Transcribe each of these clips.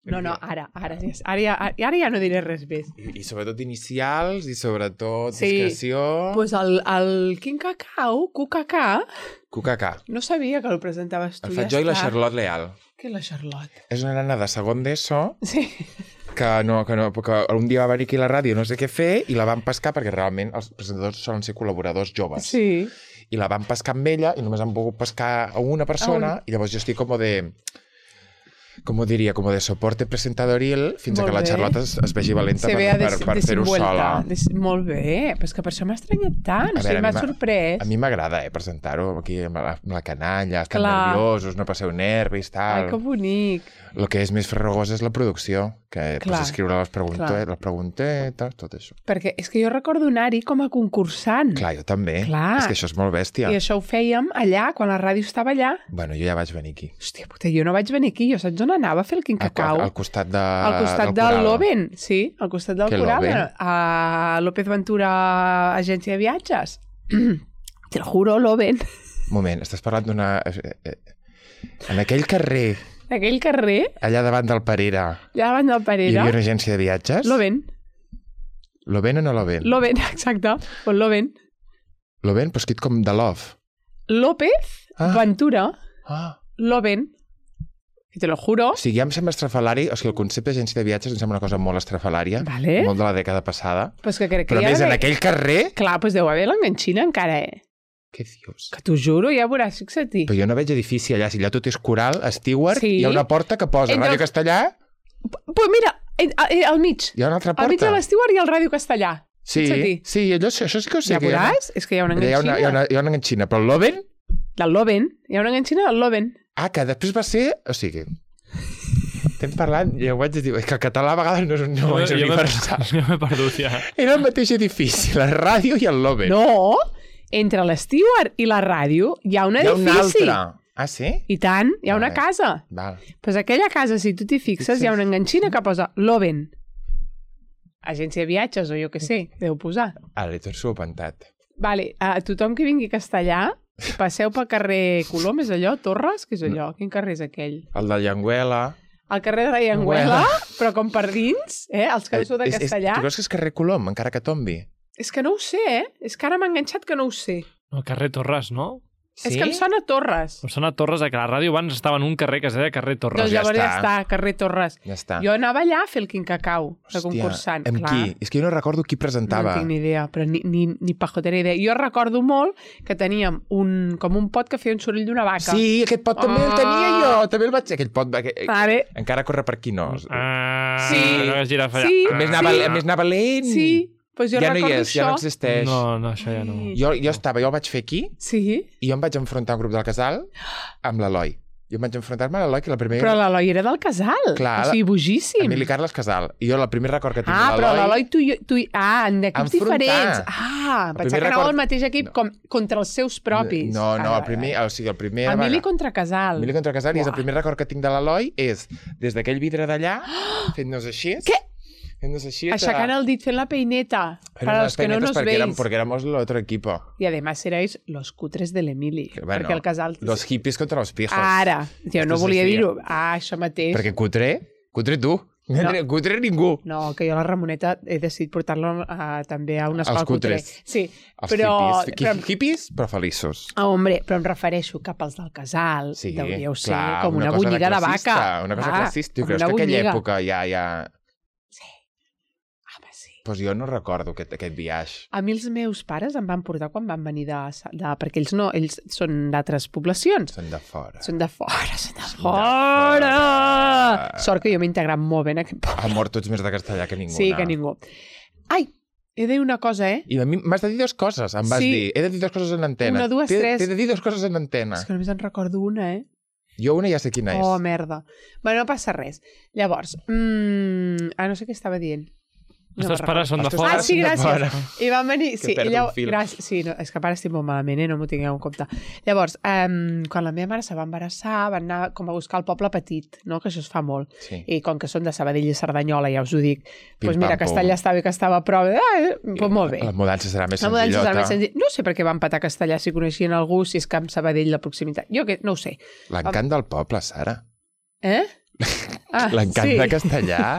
No, ara ja no diré res més. I sobretot inicials, i sobretot discreció... Doncs el Quin Cacau, QKK. no sabia que el presentaves tu. El faig jo i la Charlotte Leal. Què és la Charlotte? És una nena de segon d'ESO Sí. que un dia va venir aquí a la ràdio no sé què fer i la van pescar perquè realment els presentadors solen ser col·laboradors joves. Sí. I la van pescar amb ella i només han pogut pescar a una persona i llavors jo estic com de soporte presentadoril fins a que la Charlotte es vegi valenta per fer-ho sola. Molt bé, però és que per això m'ha estranyat tant, o sigui, m'ha sorprès. A mi m'agrada, presentar-ho aquí amb la canalla, estan nerviosos, no passeu nervis, tal. Ai, que bonic. El que és més farragós és la producció, que pots escriure les preguntetes, tot això. Perquè és que jo recordo anar-hi com a concursant. Clar, jo també. Clar. És que això és molt bèstia. I això ho fèiem allà, quan la ràdio estava allà. Bueno, jo ja vaig venir aquí. Hòstia puta, jo no vaig venir aquí. Jo saps on anava a fer el Quin Cacau? Al costat del Loven. Sí, al costat del Coral. Loven? A López Ventura, agència de viatges. Te lo juro, Loven. Moment, estàs parlant d'una... En aquell carrer... Aquell carrer... Allà davant del Parera. Allà davant del Parera. Hi havia una agència de viatges? Loven. Loven o no Loven? Loven, exacte. Pues Loven. Loven, però escrit com de love. López Ventura. Loven. I te lo juro. O sigui, ja em sembla estrafalari, o sigui, el concepte d'agència de viatges em sembla una cosa molt estrafalària, vale. Molt de la dècada passada. Pues que crec que però més en aquell carrer... Clar, pues deu haver l'enganxina encara, Què dius? Que t'ho juro, ja veuràs, fixa't-hi. Però jo no veig edifici allà, si allà tot és Coral, Stewart, hi ha una porta que posa Ràdio Castellà... Pues mira, al mig. Hi ha una altra porta. Al mig de l'Stewart hi ha el Ràdio Castellà. Sí, això sí que ho sé. Ja veuràs, és que hi ha una enganxina. Hi ha una enganxina, però el Loven... Del Loven, hi ha una enganxina del Loven. Que després va ser... O sigui... Estem parlant, ja ho haig de dir, que el català a vegades no és universal. Jo m'he perdut, ja. Era el mateix edifici, la ràdio i el Loven. No, entre l'Stewart i la ràdio hi ha un edifici. Hi ha un altre. Ah, sí? I tant, hi ha una casa. Val. Pues aquella casa, si tu t'hi fixes, hi ha una enganxina que posa Loven. Agència de viatges, o jo què sé, deu posar. Ara li tot subentat. Vale, a tothom que vingui a Castellà, passeu pel carrer Colom, és allò? Torres? Què és allò? Quin carrer és aquell? El de Llenguela. El carrer de la Llenguela, però com per dins, els que sou de Castellà. Tu creus que és carrer Colom, encara que tombi? És que no ho sé, És que ara m'ha enganxat que no ho sé. El carrer Torres, no? Sí? És que em sona Torres. Em sona Torres, que la ràdio abans estava en un carrer que es deia carrer Torres. Doncs llavors ja està, carrer Torres. Ja està. Jo anava allà a fer el Quin Cacau, de concursant. Amb clar. qui? És que jo no recordo qui presentava. No tinc ni idea, però ni pajotera idea. Jo recordo molt que teníem com un pot que feia un soroll d'una vaca. Sí, aquest pot també el tenia jo. També el vaig... Aquell pot... Vale. Encara corre per aquí, no? Sí. No hagués girat allà. Sí. A més anava lent. Sí. Pues jo ja no hi és, això. ja no existeix. No, això ja no. Jo el vaig fer aquí i jo em vaig enfrontar a un grup del casal amb l'Eloi. Jo em vaig enfrontar-me a l'Eloi, que la primera... Però l'Eloi era del casal. Clar, o sigui, bojíssim. Emili Carles Casal. I jo el primer record que tinc de l'Eloi... però l'Eloi tu... en equips diferents. Pensava que anava al mateix equip contra els seus propis. No, el primer... O sigui, el primer... Emili contra Casal. Emili contra Casal, i el primer record que tinc de l'Eloi és des d'aquell vidre d'allà, fent-nos així... Què? Aixecant el dit fent la peineta para los que no nos veis. Porque éramos el otro equipo. Y además erais los cutres de l'Emili. Bueno, perquè el casal... Los hippies contra los pijos. Ara, jo no volia dir-ho. Això mateix. Perquè cutre tu. No. Cutre ningú. No, que jo la Ramoneta he decidit portar-la també a una escola cutre. Sí, però... Hippies, però feliços. Hombre, però em refereixo cap als del casal. Sí, deuríeu ser clar, com una bunyida de vaca. Una cosa classista. Tu creus que aquella època ja... Sí. Doncs jo no recordo aquest viatge. A mi els meus pares em van portar quan van venir perquè ells són d'altres poblacions. Són de fora. Són de fora. Sort que jo m'he integrat molt bé en aquest poble. Amor, tu ets més de castellà que ningú. Sí, que ningú. Ai, he de dir una cosa, I a mi m'has de dir dues coses, em vas dir. He de dir dues coses en antena. Una, dues, tres. T'he de dir dues coses en antena. És que només en recordo una, Jo una ja sé quina és. Oh, merda. Bueno, no passa res. Llavors, no sé què estava dient. Els teus pares són de fora? Ah, sí, gràcies. I van venir... Que perdo un fil. Gràcies. Sí, no, és que para estic molt malament, no m'ho tingueu en compte. Llavors, quan la meva mare se va embarassar, van anar com a buscar el poble petit, no? Que això es fa molt. Sí. I com que són de Sabadell i Cerdanyola, ja us ho dic, doncs mira, Castellà estava bé que estava a prop. Doncs molt bé. La mudança serà més senzillota. La mudança serà més senzilla. No sé per què van patar Castellà si coneixien algú, si és que amb Sabadell la proximitat. Jo no ho sé. L'encant del poble, Sara. L'encant de castellà.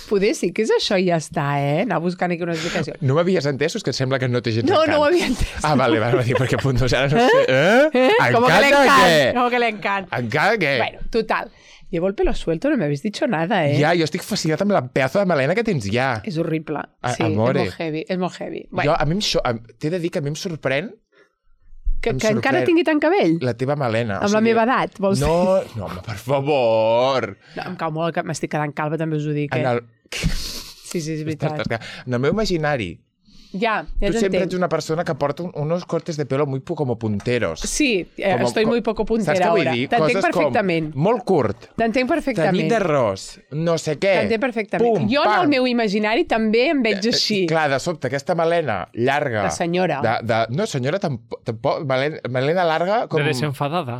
Poder sí que és això i ja està, anar buscant aquí una explicació. No m'havies entès, és que sembla que no té gens No, encant. no ho havia entès. Ah, vale, perquè punto, ara no sé. Como que ¿Encant le de encanta. què? Como que le encanta. ¿Encant de què? Bueno, total. Llevo el pelo suelto, no me habéis dicho nada, Ja, jo estic fascinat amb la pedazo de melena que tens ja. És horrible. Sí, amore. és molt heavy. És molt heavy. Jo, Bueno, a mi t'he de dir que a mi em sorprèn que em encara sorprèn. tingui tant cabell? la teva melena. Amb la meva edat, vols dir? No, home, per favor. No, em cau molt que m'estic quedant calva, també us ho dic, En el... Sí, és veritat. En el meu imaginari, Ja tu sempre t'entenc. ets una persona que porta unos cortes de pelo muy como punteros. Sí, estoy muy poco puntera Saps què vull ahora. dir? T'entenc Coses perfectament. com molt curt, T'entenc tenit perfectament. d'arròs, no sé què. T'entenc perfectament. Pum, Jo en pam. el meu imaginari també em veig així. Clar, de sobte, aquesta melena llarga... De senyora. No, senyora, tampoc melena larga com... De desenfadada.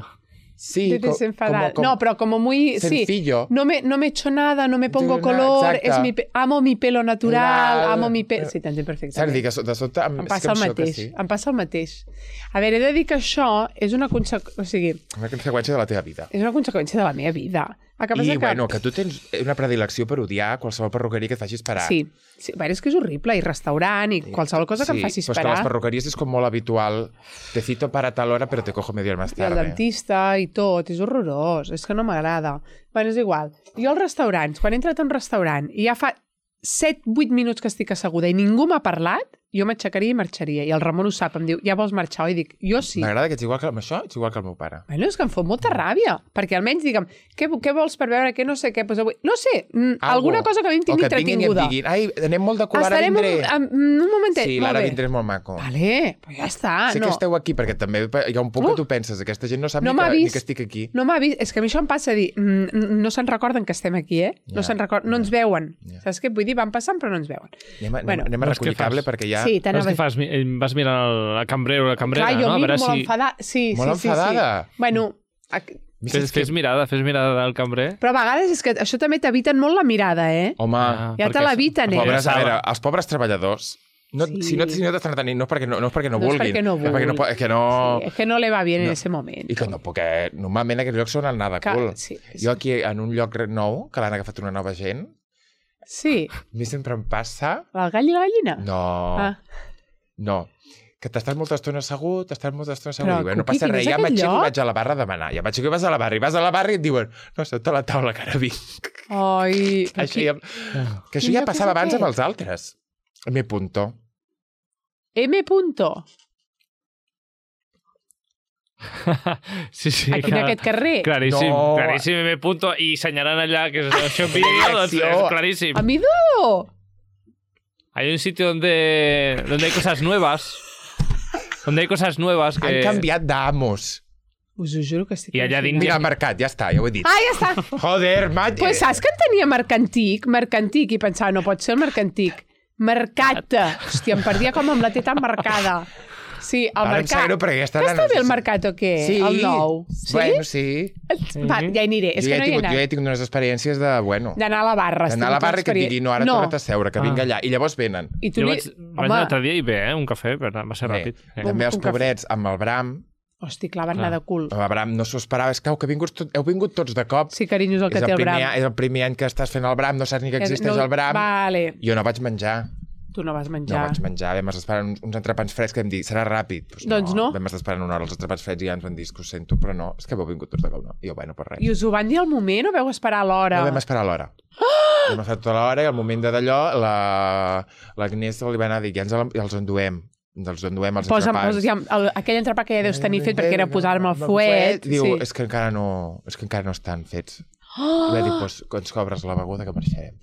Sí, De desenfadar. No, pero como muy... sencillo. Sí, no me echo nada, no me pongo color, exacte. amo mi pelo natural, Natural. amo mi pelo... Sí, t'entenc Saps perfectament. dir que de sobte... Em passa el mateix, em passa el mateix. A veure, he de dir que això és una conseqüència... O sigui, Una conseqüència de la teva vida. és una conseqüència de la meva vida. El que passa I, bueno, que tu tens una predilecció per odiar qualsevol perruqueria que et faci esperar. Sí, bueno, és que és horrible, i restaurant, i qualsevol cosa que em faci però és que esperar. les perruqueries és com molt habitual. Te cito para tal hora, però te cojo media hora más I el tarde. dentista i tot, és horrorós, és que no m'agrada. Bueno, és igual. Jo als restaurants, quan he entrat a un restaurant i ja fa 7-8 minuts que estic asseguda i ningú m'ha parlat, jo m'aixecaria i marxaria. I el Ramon ho sap, em diu, ja vols marxar? I dic, jo sí. M'agrada que ets igual que amb això, ets igual que el meu pare. Bueno, és que em fot molta ràbia, perquè almenys digue'm, què vols per veure, què no sé què, doncs avui... No sé, alguna cosa que a mi em tingui entretinguda. O que et vinguin i et diguin, ai, anem molt de cul, ara Estarem vindré. un momentet, Sí, molt l'ara bé. vindré és molt maco. Vale, però ja està, Sé no. que esteu aquí, perquè també hi ha un punt que tu penses, aquesta gent no sap No ni m'ha que vist. estic aquí. No m'ha vist, és que a mi això em passa a dir, no se'n recorden que estem aquí, No se'n recorden, no ens veuen. Saps què vull dir? Van passant però no ens veuen. Anem a doncs recollir què fas? cable perquè ja... Sí, Saps què fas? Vas mirant el cambrer o la cambrera, Clar, jo no? A miro veure molt si... enfadada. Sí, Molt sí. enfadada? Bueno, Fes mirada del cambrer. però a vegades és que això també t'eviten molt la mirada, Home, Ja te l'eviten, pobres, a veure, els pobres treballadors, Sí. si no t'estan atenint, no és perquè no No vulguin. és perquè no vulguin. És que no... Sí, és que no le va bien en No. ese moment. I que no, perquè normalment aquests llocs són el nada Que- cool. sí. Jo aquí, en un lloc nou, que l'han agafat una nova gent, Sí, a mi sempre em passa... el gall i la gallina. No, no. Que t'estàs molta estona assegut, Però, i bé, no Cuqui, passa quin res, és ja aquest m'aixeco i lloc? vaig a la barra a demanar. Ja m'aixeco i vas a la barra, i vas a la barra i et diuen no, sota a la taula que ara vinc. Ai, Això ja, que això Quin ja lloc passava és abans amb aquest? els altres. M. Punto. M. Punto. Sí. Aquí en aquest carrer. Claríssim, No. claríssim, M. Punto. I senyalant allà que és això en vídeo, doncs és claríssim. Amido! Hay un sitio donde hay cosas nuevas. Donde hay cosas nuevas que... Han canviat d'amos. Us ho juro que estic... I allà al·lucinant. dins Mira, el mercat, ja està, ja ho he dit. Ah, ja està. Joder, maig... Pues saps que en tenia mercantic, i pensava, no pot ser el mercantic. Mercat. Hòstia, em perdia com amb la T tan marcada. Sí, el Ara em sap mercat. greu perquè aquesta Que nana està no bé sé el si- mercat o què? Sí. El nou. Sí? Bueno, sí. Va, ja hi aniré. És Jo que ja no he hi he tingut, anat. jo ja he tingut unes experiències de, bueno... D'anar a la barra. D'anar a la barra i que et digui, no, ara torna't a seure, que vinc Ah. allà. I llavors venen. I tu Jo li... vaig anar l'altre dia i bé, un cafè, però va ser Bé, ràpid. també els un cafè. pobrets amb el Bram. Hosti, clar, van anar de cul. El Bram no s'ho esperava. És que heu vingut tots de cop. Sí, carinyo, és el que té el Bram. És el primer any que estàs fent el Bram, no saps ni que existeix el Bram. Vale. Jo no vaig menjar. Tu no vas No menjar. vaig menjar. Vam estar esperant uns entrepans freds que vam dir, serà ràpid. Pues Doncs no. Vam estar esperant una hora els entrepans freds i ja ens van dir que ho sento, però no. És que heu vingut tots de cop, no. I jo, bueno, per res. I us ho van dir al moment o veu esperar a l'hora? No vam esperar l'hora. Vam estar tota l'hora i al moment de d'allò l'Agnès li va anar a dir, ja els enduem. Els enduem els entrepans. Aquell entrepà que ja deus tenir fet perquè era posar-me el fuet. Diu, Sí. és que encara no estan fets. I va dir, doncs ens cobres la beguda que marxarem.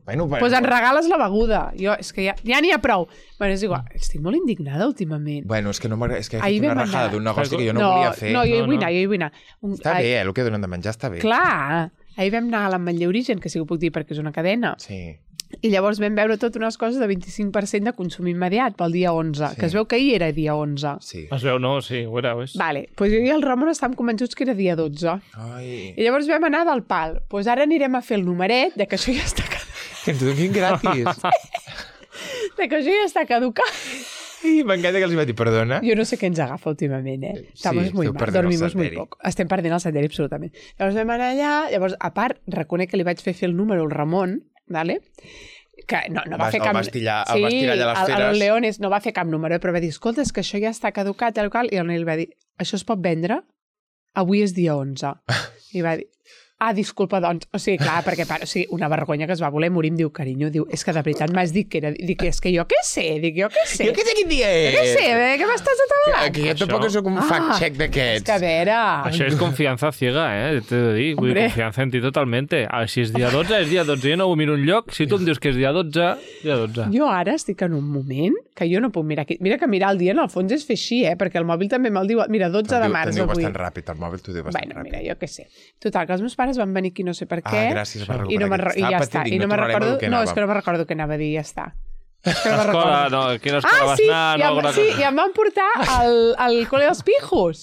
Bueno, Pues em regales la beguda. Jo, és que ja n'hi ha prou. Bueno, és igual. Estic molt indignada últimament. Bueno, és que no m'agrada, és que he Ahir fet una vam rajada anar. d'un negoci que jo no volia fer. No, jo hi No, vull no. anar, jo hi vull anar. Està bé, el que donen de menjar està bé. Clar, ahir vam anar a l'Ametller Origen, que sí que ho puc dir perquè és una cadena, Sí. i llavors vam veure tot unes coses de 25% de consum immediat pel dia 11, Sí. que es veu que ahir era dia 11. Sí. Es veu, no? Sí, ho era, és. Vale, doncs jo i el Ramon estàvem convençuts que era dia 12. Ai, I llavors vam anar del pal. Doncs ara anirem a fer el numeret de que això ja està caducat. que ens donin gratis. De que això ja està caducat. I m'encanta que els va dir, perdona. Jo no sé què ens agafa últimament, Estamos Sí, muy esteu mal, perdent el dormimos muy senderi. poc. Estem perdent el senderi, absolutament. Llavors vam anar allà, llavors, a part, reconec que li vaig fer el número al Ramon, ¿vale? Que no va fer cap... El vas tirar allà a les feres. El Leones no va fer cap número, però va dir, escolta, és que això ja està caducat, tal qual, i el Nil va dir, això es pot vendre? Avui és dia 11. I va dir, disculpa, doncs. O sigui, clar, perquè una vergonya que es va voler morir, em diu, carinyo, diu, és que de veritat m'has dit que era... Dic, és que jo què sé? Jo què sé quin dia és? Jo què sé, què m'estàs atabalant? Que jo tampoc soc un fact-check d'aquests. És que a veure... Això és confiança ciega, T'he de dir. Vull dir, confiança en ti totalmente. Si és dia 12, és dia 12. Jo no ho miro enlloc. Si tu em dius que és dia 12, dia 12. Jo ara estic en un moment que jo no puc mirar aquí. Mira que mirar el dia en el fons és fer així, perquè el mòbil també me'l diu... Mira, 12 de març avui. Te'n diu avui. bastant ràpid, el mòbil t'ho diu bastant ràpid. Bueno, mira, jo què sé. Total, que els meus pares van venir aquí no sé per què. Gràcies per I ja està. I no me'n recordo... No, és que no me'n recordo què anava a dir, ja està. Escola, no, quina escola vas anar? Sí, i em van portar al col·le dels pijos.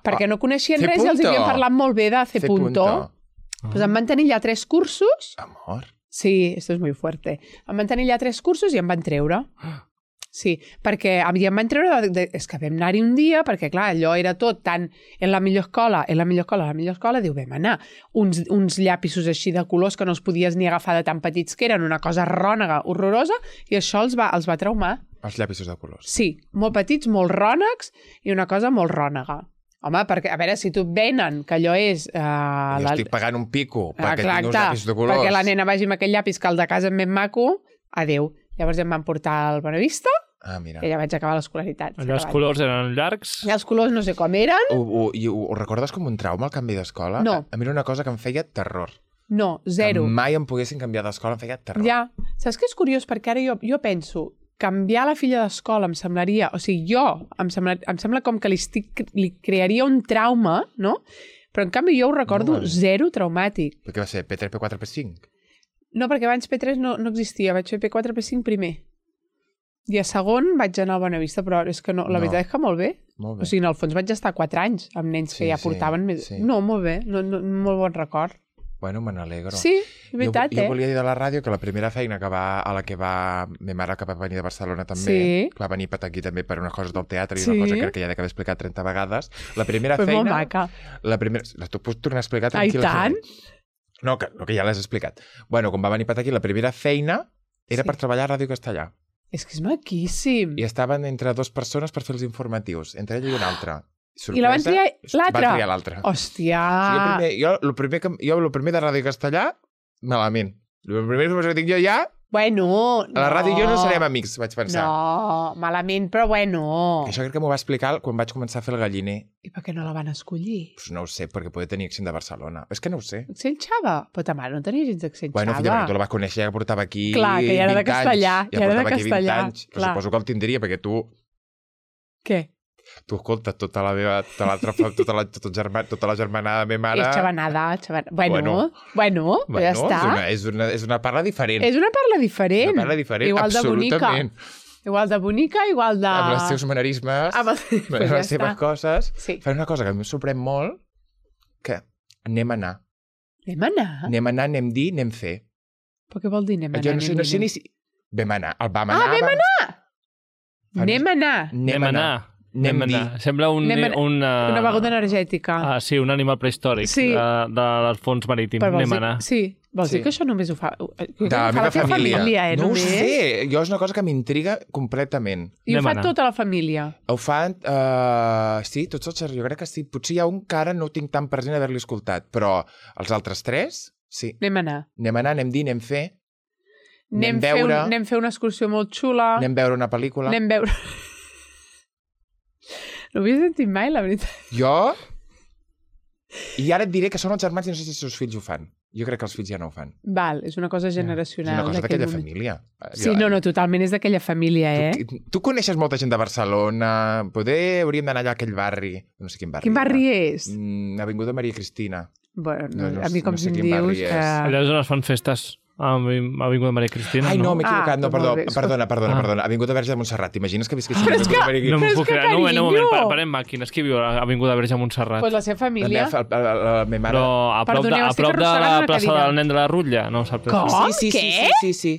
Perquè no coneixien res i els havien parlat molt bé de C. Pues em van tenir allà 3 cursos. Amor. Sí, esto es muy fuerte. Em van tenir allà 3 cursos i em van treure. Sí, perquè em van treure... És que vam anar-hi un dia, perquè, clar, allò era tot tan... En la millor escola, diu, vam anar. Uns llapisos així de colors que no els podies ni agafar de tan petits que eren, una cosa rònega, horrorosa, i això els va traumar. Els llapisos de colors. Sí, molt petits, molt rònecs, i una cosa molt rònega. Home, perquè, a veure, si tu et venen que allò és... Jo estic pagant un pico perquè tinc uns llapis de colors. Perquè la nena vagi amb aquell llapis que el de casa és ben maco, adéu. Llavors em van portar al Bonavista, mira. i ja vaig acabar l'escolaritat. Allà els colors eren llargs? I els colors no sé com eren. Ho recordes com un trauma, el canvi d'escola? No. A mi era una cosa que em feia terror. No, zero. Que mai em poguessin canviar d'escola em feia terror. Ja. Saps què és curiós? Perquè ara jo penso, canviar la filla d'escola em semblaria... O sigui, em sembla com que li crearia un trauma, no? Però en canvi jo ho recordo zero traumàtic. Però què va ser? P3, P4, P5? No, perquè abans P3 no existia. Vaig fer P4, P5 primer. I a segon vaig anar al Bonavista, però és que no, la veritat és que molt bé. Molt bé. O sigui, en el fons vaig estar 4 anys amb nens que ja portaven més... Sí. No, molt bé, molt bon record. Bueno, me n'alegro. Sí, és veritat, jo volia dir de la ràdio que la primera feina a la que va... Ma mare que va venir de Barcelona també, que va venir per aquí també per unes coses del teatre i una cosa que crec que ja d'haver explicat 30 vegades. La primera feina... Molt maca. Tu pots tornar a explicar tranquil·lament? No, que ja l'has explicat. Bueno, quan va venir per aquí, la primera feina era per treballar a Ràdio Castellà. És que és maquíssim. I estaven entre 2 persones per fer els informatius, entre ella i una altra. Sorpresa, I la van triar l'altra? Van triar l'altra. Hòstia! Jo el primer de Ràdio Castellà, malament. La primera informació que tinc jo ja... Bueno, a la ràdio jo no serem amics, vaig pensar. No, malament, però bueno. I això crec que m'ho va explicar quan vaig començar a fer el galliner. I per què no la van escollir? Pues no ho sé, perquè podia tenir accent de Barcelona. És que no ho sé. Accent xava? Però ta mare no tenia gens d'accent xava. Bueno, filla, perquè tu la vas conèixer, ja portava aquí 20 anys. Clar, que ja era de castellà. Ja portava aquí 20 anys. Però suposo que el tindria, perquè tu... Què? Tu escolta, tota la germanada de ma mare... És xavanada. Bueno, ja està. És una parla diferent. És una parla diferent. Una parla diferent, igual absolutament. Igual de bonica, igual de... Amb els seus manerismes, amb les seves coses. Sí. Fan una cosa que a mi em sorprèn molt, que anem a anar. Anem a anar? Anem a anar, anem dir, anem fer. Però què vol dir anem a anar? Jo no sé ni si... Vam anar. El vam anar. Vam anar! Anem a anar. Anem a anar. Sembla una beguda energètica. Sí, un animal prehistòric del fons marítim. Anem a anar. Sí, vols dir que això només ho fa... De la meva família. No ho només? sé, jo és una cosa que m'intriga completament. I ho fa tota la família? Ho fan, sí, tots els jo crec que sí. Potser hi ha un que ara no tinc tan present haver-li escoltat, però els altres 3, sí. Anem a anar. Anem a anar, anem dir, anem fer. Anem fer una excursió molt xula. Anem veure una pel·lícula. Anem veure... No ho havia sentit mai, la veritat. Jo? I ara et diré que són els germans i no sé si els seus fills ho fan. Jo crec que els fills ja no ho fan. Val, és una cosa generacional. És una cosa d'aquella família. Sí, no, totalment és d'aquella família, Tu coneixes molta gent de Barcelona, hauríem d'anar allà a aquell barri. No sé quin barri. Quin barri és? Avinguda Maria Cristina. Bueno, a mi com si em dius... Allà és on es fan festes. Avinguda Maria Cristina, Ai, no, m'he equivocat. No, perdona. Avinguda Verge de Montserrat. T'imagines que visquessin a Avinguda Maria Cristina? No m'ho puc creure. Un moment, parem màquines. Qui viu a Avinguda Verge de Montserrat? Pues la seva família. La meva mare. Però a prop de la plaça del nen de la Rutlla? No, saps? Com? Sí.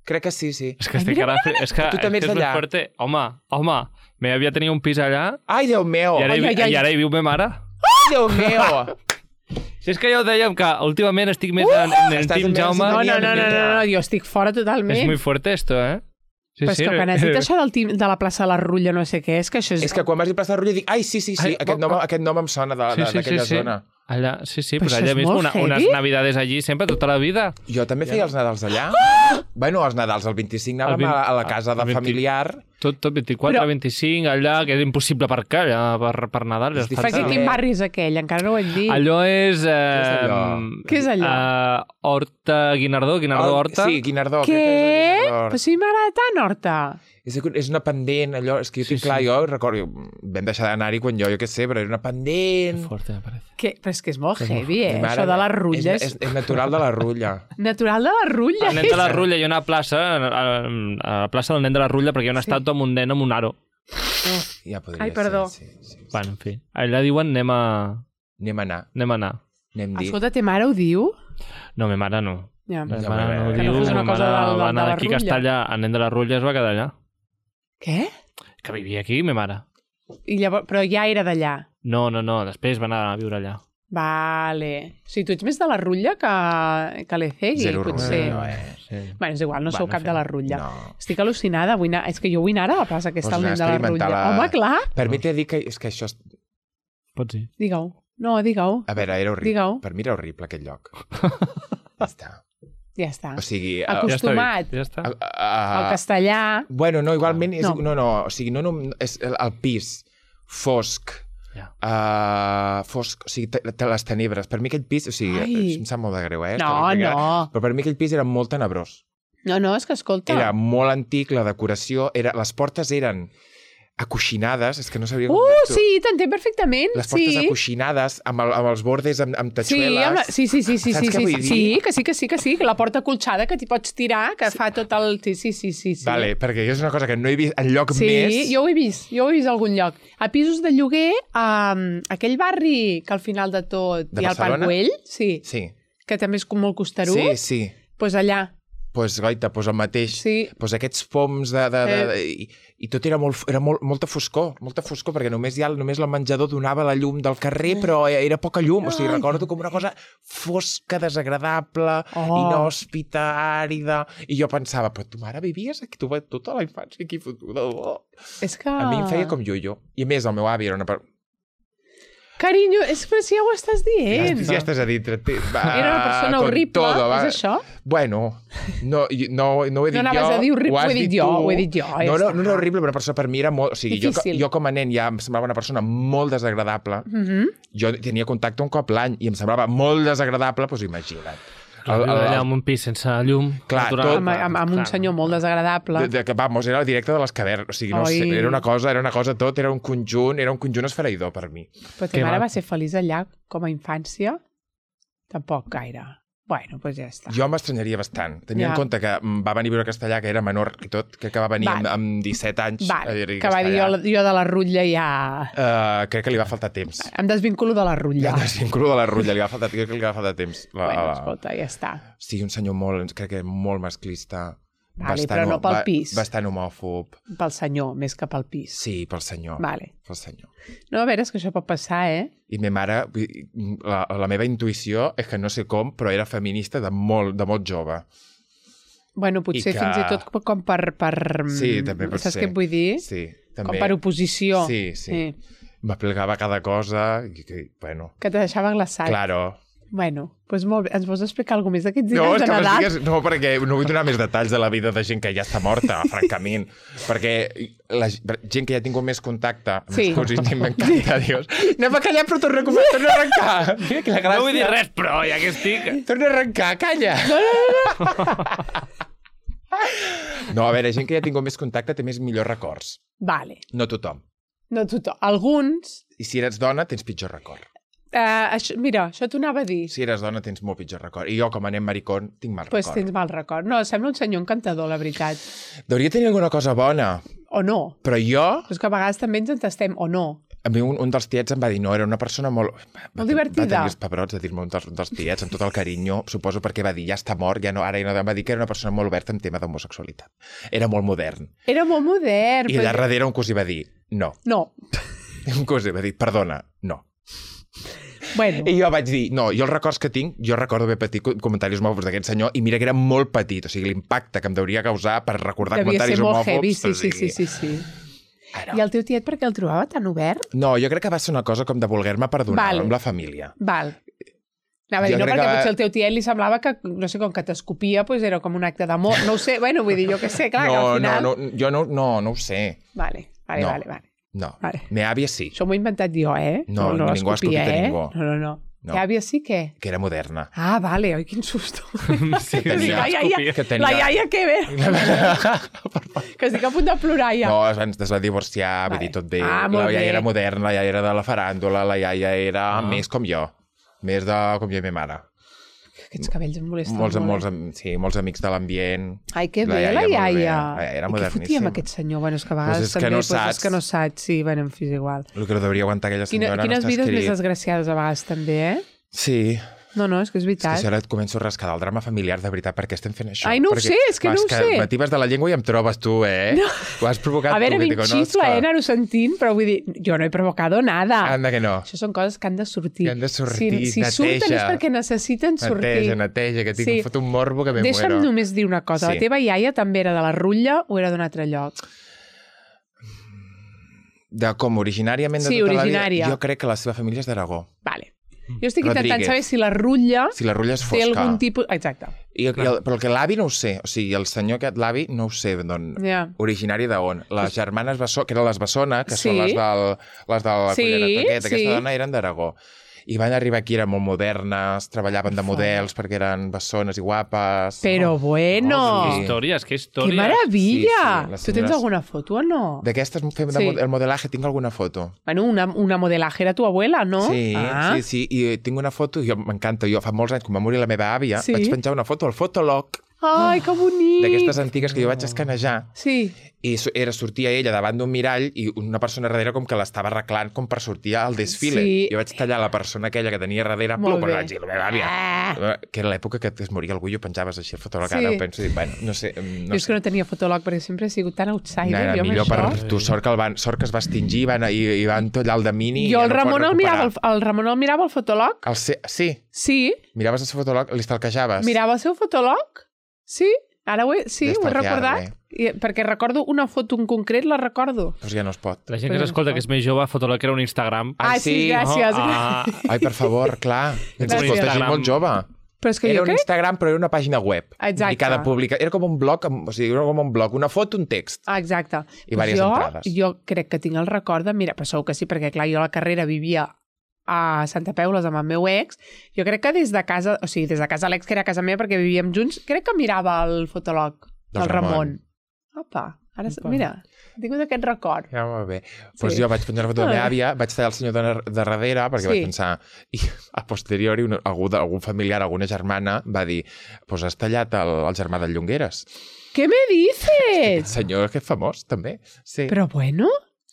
Crec que sí. És que estic ara... És que tu també ets d'allà. Home, me havia tenir un pis allà... Ai, Déu meu! I ara hi viu ma mare. Ai, Déu meu! Si és que ja ho dèiem, que últimament estic més en el Team Jaume... No, jo estic fora totalment. És muy fuerte esto, eh? Sí, però és que quan has dit això de la plaça de la Rulla, no sé què, és que això és... És que quan vas dir plaça de la Rulla dic, ai, sí, aquest nom em sona d'aquella zona. Allà, sí, però allà mismo, unes navidades allí sempre, tota la vida. Jo també feia els Nadals allà. Bueno, els Nadals, el 25 anàvem a la casa de familiar. Tot 24, 25, allà, que és impossible aparcar allà per Nadal. Perquè quin barri és aquell? Encara no ho hem dit. Allò és... Què és allò? Horta, Guinardó, Horta. Sí, Guinardó. Què? Però si m'agrada tant, Horta. És una pendent, allò... És que jo tinc clar, jo recordo... Vam deixar d'anar-hi quan jo què sé, però era una pendent... Forte, me parece. Però és que és molt heavy, això de les rutlles. És natural de la Rulla. Natural de la Rulla. El nen de la Rulla, hi ha una plaça, a la plaça del nen de la Rulla, perquè hi ha una estàtua amb un nen amb un aro. Ja podria ser. Ai, perdó. Bueno, en fi. Allà diuen anem a anar. Escolta, te mare ho diu? No, me mare no. Ja. Me mare no ho diu. Me mare va anar d'aquí a Castalla, el nen de la Rulla es va quedar allà. Què? Que vivia aquí, me mare. I llavors, però ja era d'allà? No, després va anar a viure allà. Vale. O sigui, tu ets més de la Rulla que l'Ecegui, Zero potser. Sí. Bueno, és igual, no sou cap de la Rulla. No. Estic al·lucinada. És que jo vull anar a la plaça aquesta al nen de la Rulla. Home, clar. Permite dir que és que això... Pots dir. Digue-ho. No, digue-ho. A veure, era horrible. Digue-ho. Per mi era horrible aquest lloc. Ja està. O sigui... Acostumat ja està. al castellà... Bueno, no, igualment... No, o sigui, no, és el pis fosc, fosc, o sigui, les tenebres. Per mi aquell pis, o sigui, em sap molt de greu, No. Però per mi aquell pis era molt tenebrós. No, és que escolta... Era molt antic, la decoració, les portes eren acoixinades, és que no sabia com dir-ho. Sí, t'entenc perfectament. Les portes acoixinades, amb els bordes amb tatxueles. Sí, que sí, que la porta colxada que t'hi pots tirar, que fa tot el... Sí. Vale, perquè és una cosa que no he vist enlloc més... Sí, jo ho he vist a algun lloc. A pisos de lloguer, aquell barri que al final de tot hi ha el Parc Güell, sí, que també és com molt costerut. Sí. Doncs allà. Doncs, goita, el mateix. Sí. Doncs aquests poms i tot era molta foscor, perquè només el menjador donava la llum del carrer, però era poca llum. O sigui, recordo com una cosa fosca, desagradable, inhòspita, àrida. I jo pensava, però tu mare vivies aquí, tu tota la infància aquí fotuda. És que... A mi em feia com jo. I a més, el meu avi era una... Carinyo, és que si ja ho estàs dient. Ja estàs a dintre. Era una persona horrible, és això? Bueno, no ho he dit jo. No anaves a dir horrible, ho he dit jo. No era horrible, però una persona per mi era molt... O sigui, jo com a nen ja em semblava una persona molt desagradable. Jo tenia contacte un cop l'any i em semblava molt desagradable, doncs imagina't. Allà amb un pis sense llum. Clar, amb un senyor molt desagradable. Vamos, era el directe de les cavernes. O sigui, no sé, era una cosa tot, era un conjunt esfereïdor per mi. Però ta mare va ser feliç allà com a infància? Tampoc gaire. Bueno, doncs ja està. Jo m'estranyaria bastant. Tenia en compte que va venir a viure a Castellà, que era menor i tot, que va venir amb 17 anys a viure a Castellà. Que va dir jo de la Rutlla ja... Crec que li va faltar temps. Em desvinculo de la Rutlla. Crec que li va faltar temps. Bueno, escolta, ja està. Sí, un senyor crec que molt masclista. Vale, però no pel pis. Bastant homòfob. Pel senyor, més que pel pis. Sí, pel senyor. Vale. Pel senyor. No, a veure, és que això pot passar, I ma mare, la meva intuïció és que no sé com, però era feminista de molt jove. Bueno, potser fins i tot com per... Sí, també pot ser. Saps què et vull dir? Sí, també. Com per oposició. Sí. M'aplicava cada cosa, bueno... Que te deixava glaçat. Claro. Bueno, doncs molt bé. Ens vols explicar alguna més d'aquests dies de Nadal? No, perquè no vull donar més detalls de la vida de gent que ja està morta, francament. Perquè la gent que ja ha tingut més contacte amb els cosins m'encanta, dius. Anem a callar, però torna a arrencar. Mira que la gràcia. No vull dir res, però ja que estic... Torna a arrencar, calla. No, a veure, gent que ja ha tingut més contacte té millors records. Vale. No tothom. Alguns... I si eres dona, tens pitjor record. Mira, això t'ho anava a dir. Si eres dona tens molt pitjor record. I jo, com a nen maricón, tinc mal record. Doncs tens mal record. No, sembla un senyor encantador, la veritat. Hauria tenir alguna cosa bona. O no. Però jo... És que a vegades també ens entestem, o no. A mi un dels tiets em va dir, no, era una persona molt... Molt divertida. Va tenir els pebrots de dir-me un dels tiets, amb tot el carinyo, suposo perquè va dir, ja està mort, ja no, ara ja no, va dir que era una persona molt oberta en tema d'homosexualitat. Era molt modern. Era molt modern. I allà darrere un cosí va dir, no. No. Un cosí va dir, perdona, no. Bueno. I jo vaig dir, no, jo els records que tinc, jo recordo haver patit comentaris homòfobs d'aquest senyor, i mira que era molt petit, o sigui, l'impacte que em deuria causar per recordar comentaris homòfobs... Devia ser molt heavy, sí. Ara. I el teu tiet per què el trobava tan obert? No, jo crec que va ser una cosa com de voler-me perdonar amb la família. Val. Anava a dir, no, perquè potser el teu tiet li semblava que, no sé, com que t'escopia, doncs era com un acte d'amor. No ho sé, bueno, vull dir, jo què sé, clar, que al final... Jo no ho sé. Vale. No, meva àvia sí. Això m'ho he inventat jo, No ningú ha escopit a ningú. No. Teva àvia sí què? Que era moderna. Ah, vale, oi, quin susto. Sí, la iaia que ve. Que estic a punt de plorar ja. No, abans es va divorciar, vull dir, tot bé. La iaia era moderna, la iaia era de la faràndula, la iaia era més com jo. Més com jo i ma mare. Aquests cabells em molesten molts amics de l'ambient. Ai, que bé, la iaia. Era moderníssim. I què fotia amb aquest senyor? Bueno, és que a vegades també... És que no saps. Sí, bueno, en fi, és igual. El que no devia aguantar aquella senyora no està escrit. Quines vides més desgraciades a vegades també, Sí. No, és que és veritat. És que ara et començo a rascar del drama familiar, de veritat, per què estem fent això? Ai, no ho sé, és que no ho sé. M'atibes de la llengua i em trobes tu, No. Ho has provocat tu. A veure, a mi em xifla, anar-ho sentint, però vull dir, jo no he provocado nada. Anda que no. Això són coses que han de sortir. Que han de sortir, si surten és perquè necessiten sortir. Neteja, que tinc fot un morbo que me muero. Deixa'm només dir una cosa. La teva iaia també era de la Rutlla o era d'un altre lloc? De com, originàriament de tota la vida? Jo crec que la seva família és d'Aragó. Vale. Jo estic intentant saber si la Rutlla... Si la Rutlla és fosca. Té algun tipus... Exacte. Però el que l'avi no ho sé. O sigui, el senyor aquest, l'avi, no ho sé d'on. Originari d'on. Les germanes Bessona, que eren les Bessona, que són les de la Cullereta aquesta dona, eren d'Aragó. I van arribar aquí, eren molt modernes, treballaven de models perquè eren bessones i guapes. Però bueno! Que històries. Que meravella! Tu tens alguna foto o no? D'aquestes fem el modelaje, tinc alguna foto. Bueno, una modelaje era tu abuela, no? Sí, i tinc una foto, m'encanta, jo fa molts anys, quan va morir la meva àvia, vaig penjar una foto al Fotolog. Ai, que bonic! D'aquestes antigues que jo vaig escanejar. Sí. I sortia ella davant d'un mirall i una persona darrere com que l'estava arreglant com per sortir al desfile. Sí. Jo vaig tallar la persona aquella que tenia darrere, molt bé. Vaig dir, la meva àvia. Que era l'època que es moria algú i ho penjaves així al fotòleg. Ara ho penso i dic, bueno, no sé. Jo és que no tenia fotòleg perquè sempre he sigut tan outsider. No, millor per tu, sort que es va extingir i van tot allà al de mini. Jo el Ramon el mirava al fotòleg. Sí? Sí. Miraves el seu fotòleg, li stalkejaves? Mirava el seu fotòleg? Sí. Ara ho he recordat. Perquè recordo una foto en concret, la recordo. Doncs ja no es pot. La gent que s'escolta que és més jove, fotòleg era un Instagram. Sí, gràcies. Ai, per favor, clar. Ens escolta gent molt jove. Però és que era un Instagram, però era una pàgina web. Exacte. I cada era com un blog, era com un blog, una foto, un text. Exacte. I diverses entrades. Jo crec que tinc el record de... Mira, però segur que sí, perquè clar, jo a la carrera vivia a Santa Peules amb el meu ex. Jo crec que des de casa, o sigui, des de casa l'ex, que era a casa meva perquè vivíem junts, crec que mirava el fotòleg del Ramon. Opa, ara, mira, he tingut aquest record. Ja va bé. Doncs jo vaig penjar la foto de la meva àvia, vaig tallar el senyor de darrere, perquè vaig pensar... I a posteriori, algun familiar, alguna germana, va dir, pues has tallat el germà del Llongueres. Què me dices? Aquest senyor que és famós, també. Sí. Però bueno...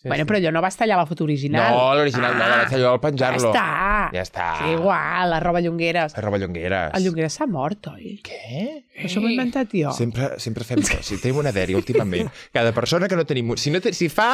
Bueno, però allò no vas tallar la foto original. No, l'original no, la vaig tallar al penjar-lo. Ja està. Sí, igual, la roba Llongueres. La roba Llongueres. El Llongueres s'ha mort, oi? Què? Això m'ho he inventat jo. Sempre fem això. Si tenim una dèria últimament, cada persona que no tenim... Si fa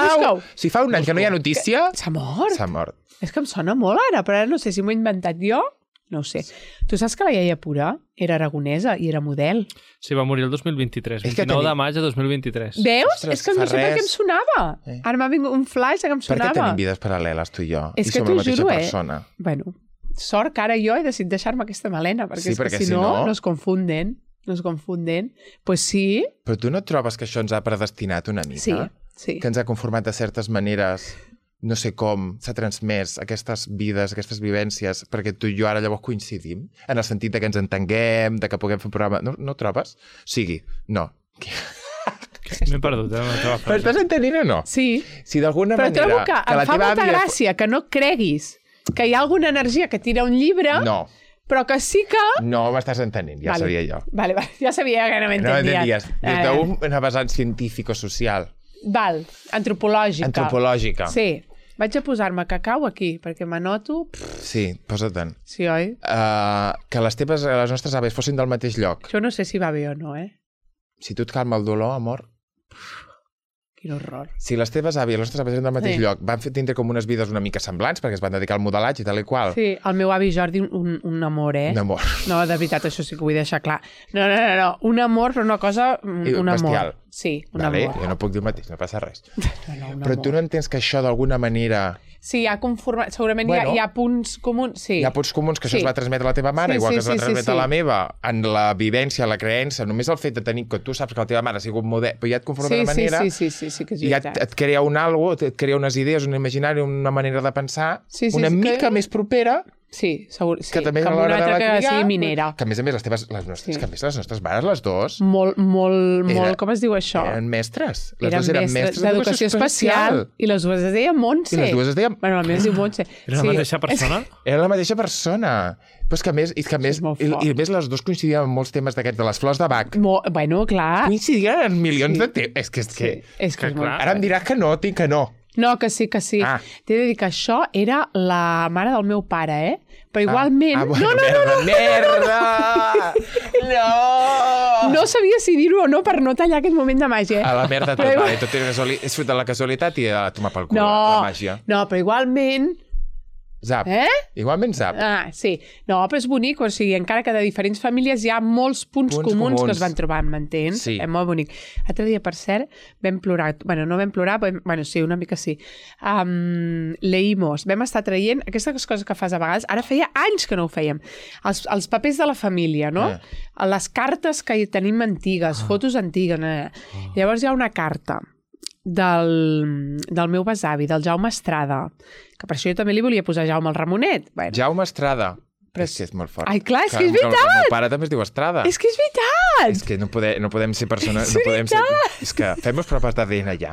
un any que no hi ha notícia... S'ha mort? S'ha mort. És que em sona molt ara, però ara no sé si m'ho he inventat jo. No ho sé. Tu saps que la iaia Pura era aragonesa i era model? Sí, va morir el 2023, 29 de maig de 2023. Veus? Ostres, és que no sé per què em sonava. Ara m'ha vingut un flash que em sonava. Per què tenim vides paral·leles, tu i jo? És que som la mateixa persona. Bueno, sort que ara jo he decidit deixar-me aquesta melena, perquè, si no es confunden. Pues sí. Però tu no et trobes que això ens ha predestinat una mica? Sí. Que ens ha conformat de certes maneres... No sé com s'ha transmès aquestes vides, aquestes vivències, perquè tu i jo ara llavors coincidim, en el sentit que ens entenguem, que puguem fer un programa... No trobes? Sigui, no. M'he perdut, Però estàs entenint o no? Sí. Si d'alguna manera... Però trobo que em fa molta gràcia que no creguis que hi ha alguna energia que tira un llibre... No. Però que sí que... No m'estàs entenent, ja sabia jo. Vale, ja sabia que no m'entendies. Des d'una vessant científic o social. Antropològica. Antropològica. Sí. Vaig a posar-me cacau aquí, perquè m'anoto... Sí, posa-te'n. Sí, oi? Que les nostres aves fossin del mateix lloc. Jo no sé si va bé o no, Si tu et calma el dolor, amor... Quin horror. Si les teves àvies, les nostres àvies eren del mateix lloc, van tindre com unes vides una mica semblants, perquè es van dedicar al modelatge i tal i qual. Sí, el meu avi Jordi, un amor, Un amor. No, de veritat, això sí que ho vull deixar clar. No. Un amor, però una cosa... Un bestial. amor. Sí, un vale, amor. jo no puc dir el mateix, no passa res. No, Però tu no entens que això d'alguna manera... Sí, ha conformat... Segurament Bueno, hi ha punts comuns, sí. Hi ha punts comuns que això es va transmetre a la teva mare, igual que es va transmetre a la meva, en la vivència, la creença, només el fet de tenir que tu saps que la teva mare ha sigut model, però ja et conforma d'una manera, sí, que és ja veritat. et crea un algo, et crea unes idees, un imaginari, una manera de pensar una mica més propera. Sí, segur, sí. Que també com a l'hora una altra de que criar, sigui minera. Que a més les nostres mares, les dues, Molt, com es diu això? eren mestres. Les Eren dues eren mestres d'educació especial. I les dues es deien Montse. I les dues es deien... Bueno, la meva es diu Montse. Era la mateixa persona? Era la mateixa persona. Però és que a més, a més les dues coincidien en molts temes d'aquests, de les flors de Bach. Bueno, clar. Coincidien en milions de temes. És que és molt ara em diràs que no, que no. No, que sí. Ah. T'he de dir que això era la mare del meu pare, Però igualment... Bueno, no. Merda! No! No sabia si dir-ho o no per no tallar aquest moment de màgia. A la merda tot, vale, tot és fruit de la casualitat i a tomar pel cul, la màgia. No, però igualment... Zap. Igualment zap. Sí. No, però és bonic, o sigui, encara que de diferents famílies hi ha molts punts comuns que es van trobar, m'entens? Sí. És molt bonic. L'altre dia, per cert, vam plorar. Bueno, no vam plorar, però... Bueno, sí, una mica sí. Leímos. Vam estar traient aquestes coses que fas a vegades. Ara feia anys que no ho fèiem. Els papers de la família, no? Les cartes que tenim antigues, fotos antigues. Llavors hi ha una carta del meu besavi, del Jaume Estrada, que per això jo també li volia posar Jaume al Ramonet. Bueno. Jaume Estrada. Però és que és molt fort. Ai, clar, és que és veritat! El meu pare també es diu Estrada. És que és veritat! És que no podem ser persones... No podem ser... És que fem les proves d'ADN ja.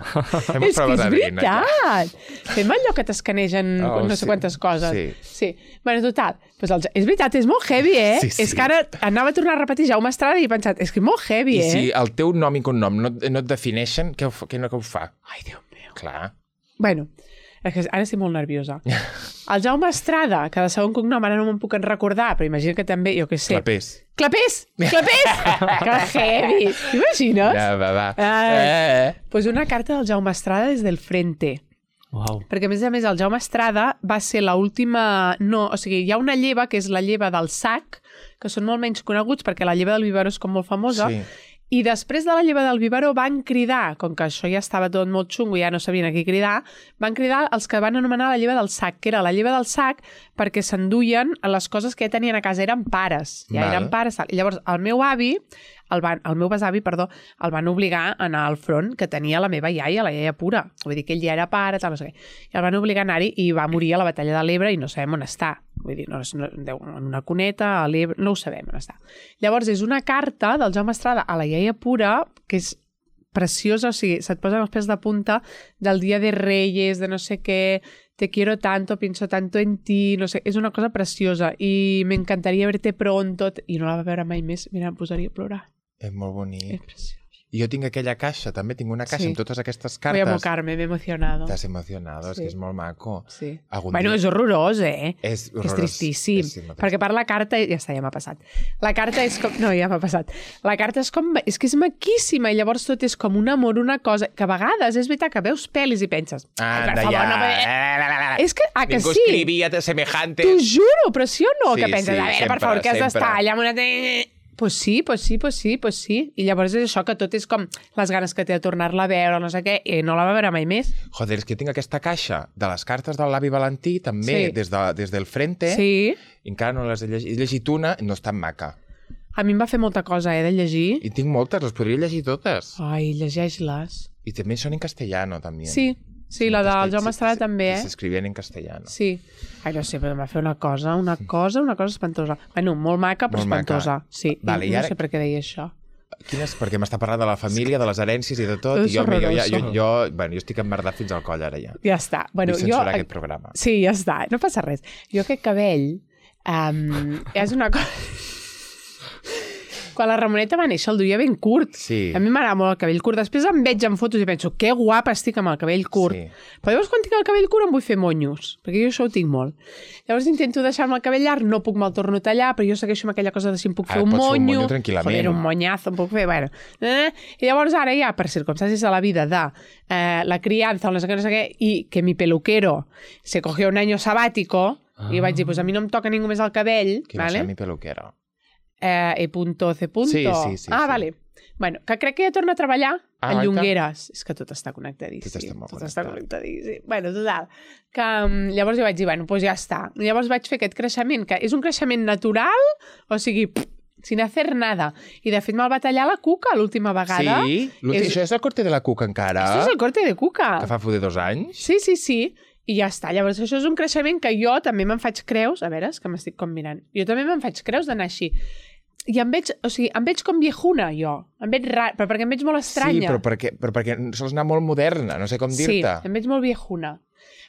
És que és veritat! Fem allò que t'escanegen no sé quantes coses. Sí. Bueno, total. És veritat, és molt heavy, Sí. És que ara anava a tornar a repetir Jaume Estrada i he pensat, és que és molt heavy, I si el teu nom i cognom no et defineixen, què ho fa? Ai, Déu meu. Clar. Bueno, és que ara estic molt nerviosa. El Jaume Estrada, que de segon cognom ara no me'n puc recordar, però imagina que també, jo què sé... Clapés! Que heavy! T'imagines? Va. Pues una carta del Jaume Estrada des del Frente. Wow. Perquè, a més, el Jaume Estrada va ser l'última... No, o sigui, hi ha una lleva, que és la lleva del Sac, que són molt menys coneguts, perquè la lleva del Vivaró és com molt famosa, i després de la lleva del Vivaró van cridar, com que això ja estava tot molt xungo i ja no sabien a qui cridar, van cridar els que van anomenar la lleva del Sac, que era la lleva del Sac perquè s'enduien les coses que ja tenien a casa, eren pares. Eren pares. I llavors el meu avi, el meu besavi, el van obligar a anar al front, que tenia la meva iaia, la iaia pura. Vull dir que ell ja era pare, tal, no sé què. I el van obligar a anar-hi i va morir a la batalla de l'Ebre i no sabem on està. Vull dir, en una cuneta, a l'Ebre, no ho sabem on està. Llavors, és una carta del Jaume Estrada a la iaia pura, que és preciosa, o sigui, se't posen els pèls de punta del dia de Reyes, de no sé què, te quiero tanto, pienso tanto en ti, no sé, és una cosa preciosa i m'encantaria verte pronto, i no la va veure mai més, mira, em posaria a plorar. És molt bonic. És preciós. I jo tinc aquella caixa, també tinc una caixa amb totes aquestes cartes. Voy a mocarme, m'he emocionado. T'has emocionado, és que és molt maco. Sí. Bueno, és horrorós, És horrorós. És tristíssim. Perquè per la carta... Ja està, ja m'ha passat. La carta és com... No, ja m'ha passat. La carta és com... És que és maquíssima i llavors tot és com un amor, una cosa... Que a vegades és veritat que veus pel·lis i penses... Anda, ja. És que... Ah, que sí. Ningú escrivia semejante. T'ho juro, però sí o no? Que penses, a veure, per favor, que has d'estar allà amb una... Pues sí. I llavors és això, que tot és com les ganes que té de tornar-la a veure, no sé què, i no la va veure mai més. Joder, és que tinc aquesta caixa de les cartes del l'avi Valentí, també, des del Frente. Sí. I encara no les he llegit. He llegit una, no és tan maca. A mi em va fer molta cosa, de llegir. I tinc moltes, les podria llegir totes. Ai, llegeix-les. I també són en castellano, també. Sí, la del Jaume Estrada també, S'escrivien en castellano. Sí. Ai, no sé, però em va fer una cosa espantosa. Bueno, molt maca, però espantosa. Sí, vale, no sé per què deia això. Perquè m'està parlant de la família, de les herències i de tot, i jo estic emmerdat fins al coll ara ja. Ja està. Vull censurar aquest programa. Sí, ja està, no passa res. Jo aquest cabell és una cosa... Quan la Ramoneta va néixer el duia ben curt. Sí. A mi m'agrada molt el cabell curt. Després em veig en fotos i penso, que guapa estic amb el cabell curt. Sí. Però llavors quan tinc el cabell curt em vull fer monyos, perquè jo això ho tinc molt. Llavors intento deixar-me el cabell llarg, no puc me'l torno a tallar, però jo segueixo amb aquella cosa de si em puc fer un pots fer un monyo. monyo tranquil·lament. Joder, un monyazo em puc fer, bueno. I llavors ara ja, per circumstàncies de la vida de la crianza o no sé què, i que mi peluquero se cogió un año sabático, i vaig dir, pues a mi no em toca ningú més el cabell, Qui va ¿vale? ser mi peluquera? E.C. Sí. Vale. Bueno, que crec que ja torna a treballar en guaita. Llongueres. És que tot està connectadíssim. Tot està molt connectadíssim. Bueno, total. Que llavors jo vaig dir, bueno, doncs ja està. Llavors vaig fer aquest creixement, que és un creixement natural, o sigui, sin hacer nada. I de fet me'l va tallar la Cuca l'última vegada. Sí? Això és el corte de la Cuca encara? Això és el corte de Cuca. Que fa foder 2 anys? Sí. I ja està. Llavors, això és un creixement que jo també me'n faig creus. A veure, és que m'estic com mirant. Jo també me'n faig creus d'anar així. I em veig com viejuna, jo. Em veig rar, però perquè em veig molt estranya. Sí, però perquè sols anar molt moderna, no sé com dir-te. Sí, em veig molt viejuna.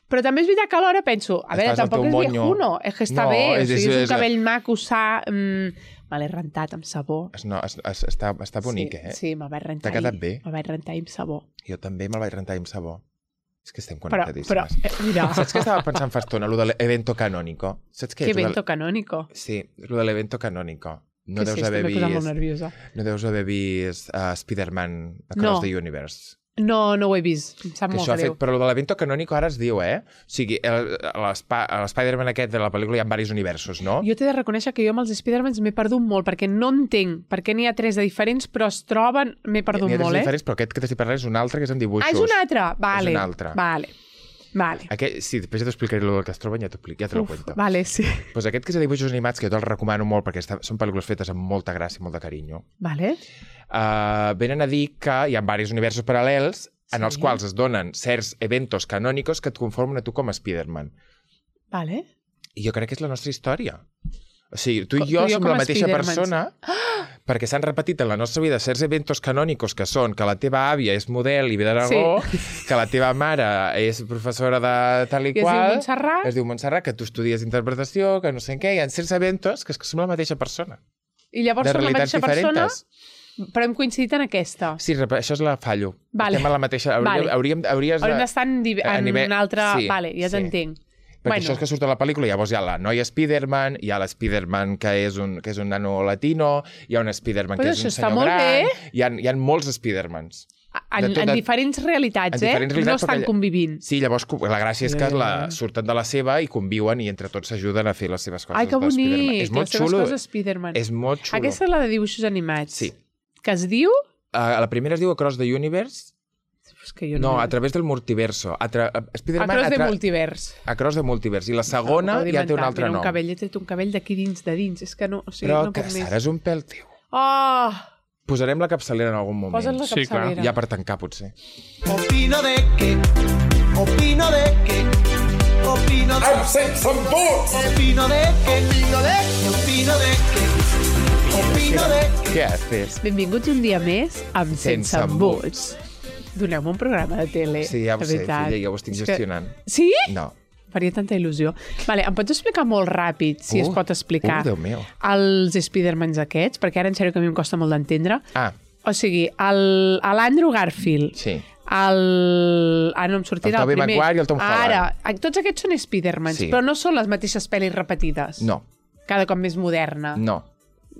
Però també és veritat que alhora penso, a veure, tampoc és viejuno, és que està bé, o sigui, és un cabell maco, sa... Me l'he rentat amb sabó. Està bonic, eh? Sí, me'l vaig rentar. T'ha quedat bé? Me'l vaig rentar amb sabó. Jo també me'l vaig rentar amb sabó. És que estem Però, connectadíssimes. mira... Saps què estava pensant fa estona? Lo de l'evento canónico. Saps què és? Que evento canónico? Sí, lo de l'evento canónico. No que deus sí, haver estic vist... molt nerviosa. No deus haver vist Spider-Man Across the Universe. No ho he vist. Em sap molt greu. Però lo de l'evento canónico ara es diu, eh? O sigui, l'Spider-Man aquest de la pel·lícula hi ha diversos universos, no? Jo t'he de reconèixer que jo amb els Spider-Mans m'he perdut molt, perquè no entenc per què n'hi ha 3 de diferents, però es troben... M'he perdut N'hi ha 3 molt, diferents, però aquest que t'estic parlant és un altre, que és en dibuixos. Ah, és un altre? Vale. És un altre. Vale. Sí, després ja t'explicaré el que es troben, ja te lo cuento. Vale, sí. Pues aquest que és de dibuixos animats, que jo te'l recomano molt, perquè són pel·lícules fetes amb molta gràcia i molt de carinyo. Vale. Venen a dir que hi ha diversos universos paral·lels en els quals es donen certs eventos canònicos que et conformen a tu com a Spider-Man. Vale. I jo crec que és la nostra història. O sigui, tu i jo som la mateixa persona perquè s'han repetit en la nostra vida certs eventos canònicos que són que la teva àvia és model i ve d'Aragó, que la teva mare és professora de tal i qual, es diu Montserrat, que tu estudies interpretació, que no sé què, hi ha certs eventos que som la mateixa persona. I llavors som la mateixa persona, però hem coincidit en aquesta. Sí, això és la fallo. Vale. Estem a la mateixa... Hauríem d'estar en un altre... Sí, vale, ja t'entenc. Perquè això és que surt a la pel·lícula, llavors hi ha la noia Spider-Man, hi ha l'Spider-Man que és un nano latino, hi ha un Spider-Man que és un senyor gran... Hi ha molts Spider-Mans. En diferents realitats, no estan convivint. Sí, llavors la gràcia és que surten de la seva i conviuen i entre tots s'ajuden a fer les seves coses. Ai, que bonic! És molt xulo. És molt xulo. Aquesta és la de dibuixos animats. Sí. Que es diu? La primera es diu Across the Universe. No, a través del multiverso. Across the Multiverse. Across the Multiverse. I la segona ja té un altre nom. Té un cabell d'aquí dins, de dins. És que no, o sigui, però no puc més. Però que és un pèl teu. Oh! Posarem la capçalera en algun moment. Posa't la capçalera. Sí, ja per tancar, potser. Opino de que Opino de que I'm sense some boots! Opino de que Opino de que Què haces? Benvinguts un dia més amb Sense Embuts. Doneu-me un programa de tele. Sí, ja ho sé, filla, ja ho estic gestionant. Sí? No. Faria tanta il·lusió. Vale, em pots explicar molt ràpid, si es pot explicar, Déu meu. els Spidermans aquests? Perquè ara en sèrio que a mi em costa molt d'entendre. O sigui, l'Andrew Garfield, sí. no em sortirà el primer. El Tobey Maguire i el Tom Holland. Ara, tots aquests són Spidermans, sí. Però no són les mateixes pel·lis repetides. No. Cada cop més moderna. No.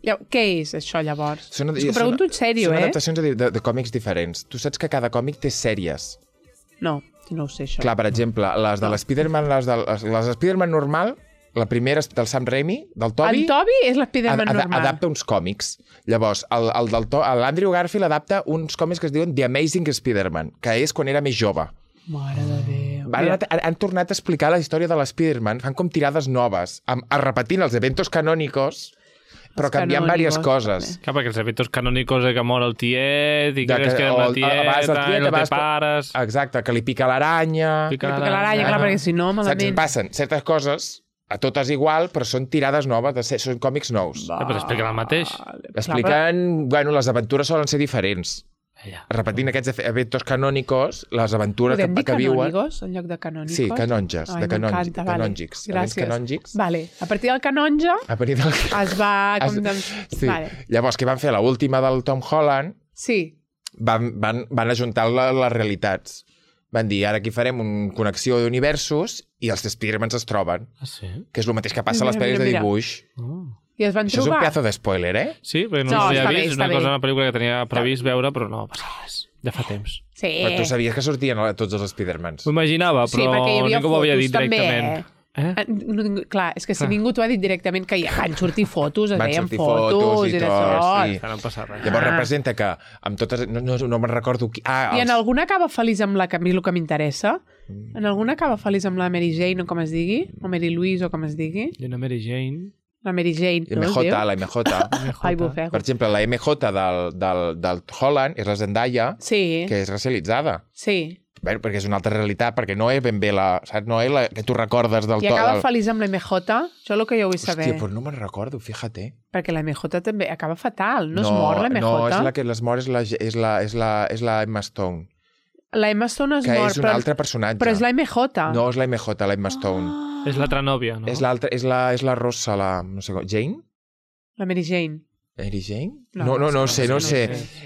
Què és això, llavors? És que pregunto en sèrio, Són adaptacions de còmics diferents. Tu saps que cada còmic té sèries. No ho sé, això. Clar, per exemple, les de l'Spiderman, les Spiderman normal, la primera és del Sam Raimi, del Tobey. El Tobey és l'Spiderman normal. Adapta uns còmics. Llavors, l'Andrew Garfield adapta uns còmics que es diuen The Amazing Spider-Man, que és quan era més jove. Mare de Déu. Han tornat a explicar la història de l'Spiderman, fan com tirades noves, repetint els eventos canònicos, però canviant diverses coses. Clar, perquè els eventos canònicos que mor el tiet i que es queda amb la tieta i no té pares... Exacte, que li pica l'aranya... Pica l'aranya, clar, perquè si no, malament... Passen certes coses, a totes igual, però són tirades noves, són còmics nous. Però expliquen el mateix. Expliquen... Bueno, les aventures solen ser diferents. repetint aquests eventos canònicos, les aventures Podem dir que viuen... canònigos en lloc de canònicos? Sí, canonges, Ai, m'encanta, vale. canòngics. Events Gràcies. canòngics. Vale. A partir del canonge A partir del... es va... Sí. Vale. Llavors, què van fer? L'última del Tom Holland Sí. van ajuntar les realitats. Van dir, ara aquí farem una connexió d'universos i els Spidermans es troben, Ah, sí? que és el mateix que passa a les Mira, pel·lis de mira. dibuix. I es van Això és un trobar... pedazo de spoiler, eh? Sí, perquè no, No, l'havia està bé, vist. És està una cosa, bé. una pel·lícula que tenia previst veure, però no passa res. Ja fa temps. Sí. Però tu sabies que sortien tots els Spidermans. M'ho imaginava, Sí, però perquè hi havia ningú m'ho havia fotos dit també, directament. Clar, és que si Clar. ningú t'ho ha dit directament que ja van sortir fotos, es Van veien sortir fotos fotos i i d'això. tot, sí. No em passa res. Llavors representa que amb totes... No me'n recordo qui... I en alguna acaba feliç amb la que a mi el que m'interessa? En alguna acaba feliç amb la Mary Jane o com es digui? O Mary Louise o com es digui? I una Mary Jane... La Mary Jane, no es MJ, diu? la MJ. Ai, bufego. Per exemple, la MJ del Holland és la Zendaya, Sí, que és racialitzada. sí. Bé, perquè és una altra realitat, perquè no és ben bé la... Saps? No és la que tu recordes del I acaba feliç amb la MJ? Això és el que jo vull saber. Hòstia, però no me'n recordo, fíjate. Perquè la MJ també acaba fatal. No es mor la MJ? No, és la que les mor és la Emma Stone, La Emma Stone es que mor, és un però, altre personatge. però és la MJ. No és la MJ, la Emma Stone. És l'altra nòvia, no? És l'altra, és la Rossa, la... No sé com... Jane? La Mary Jane. Mary Jane? No, No és que sé. no sé.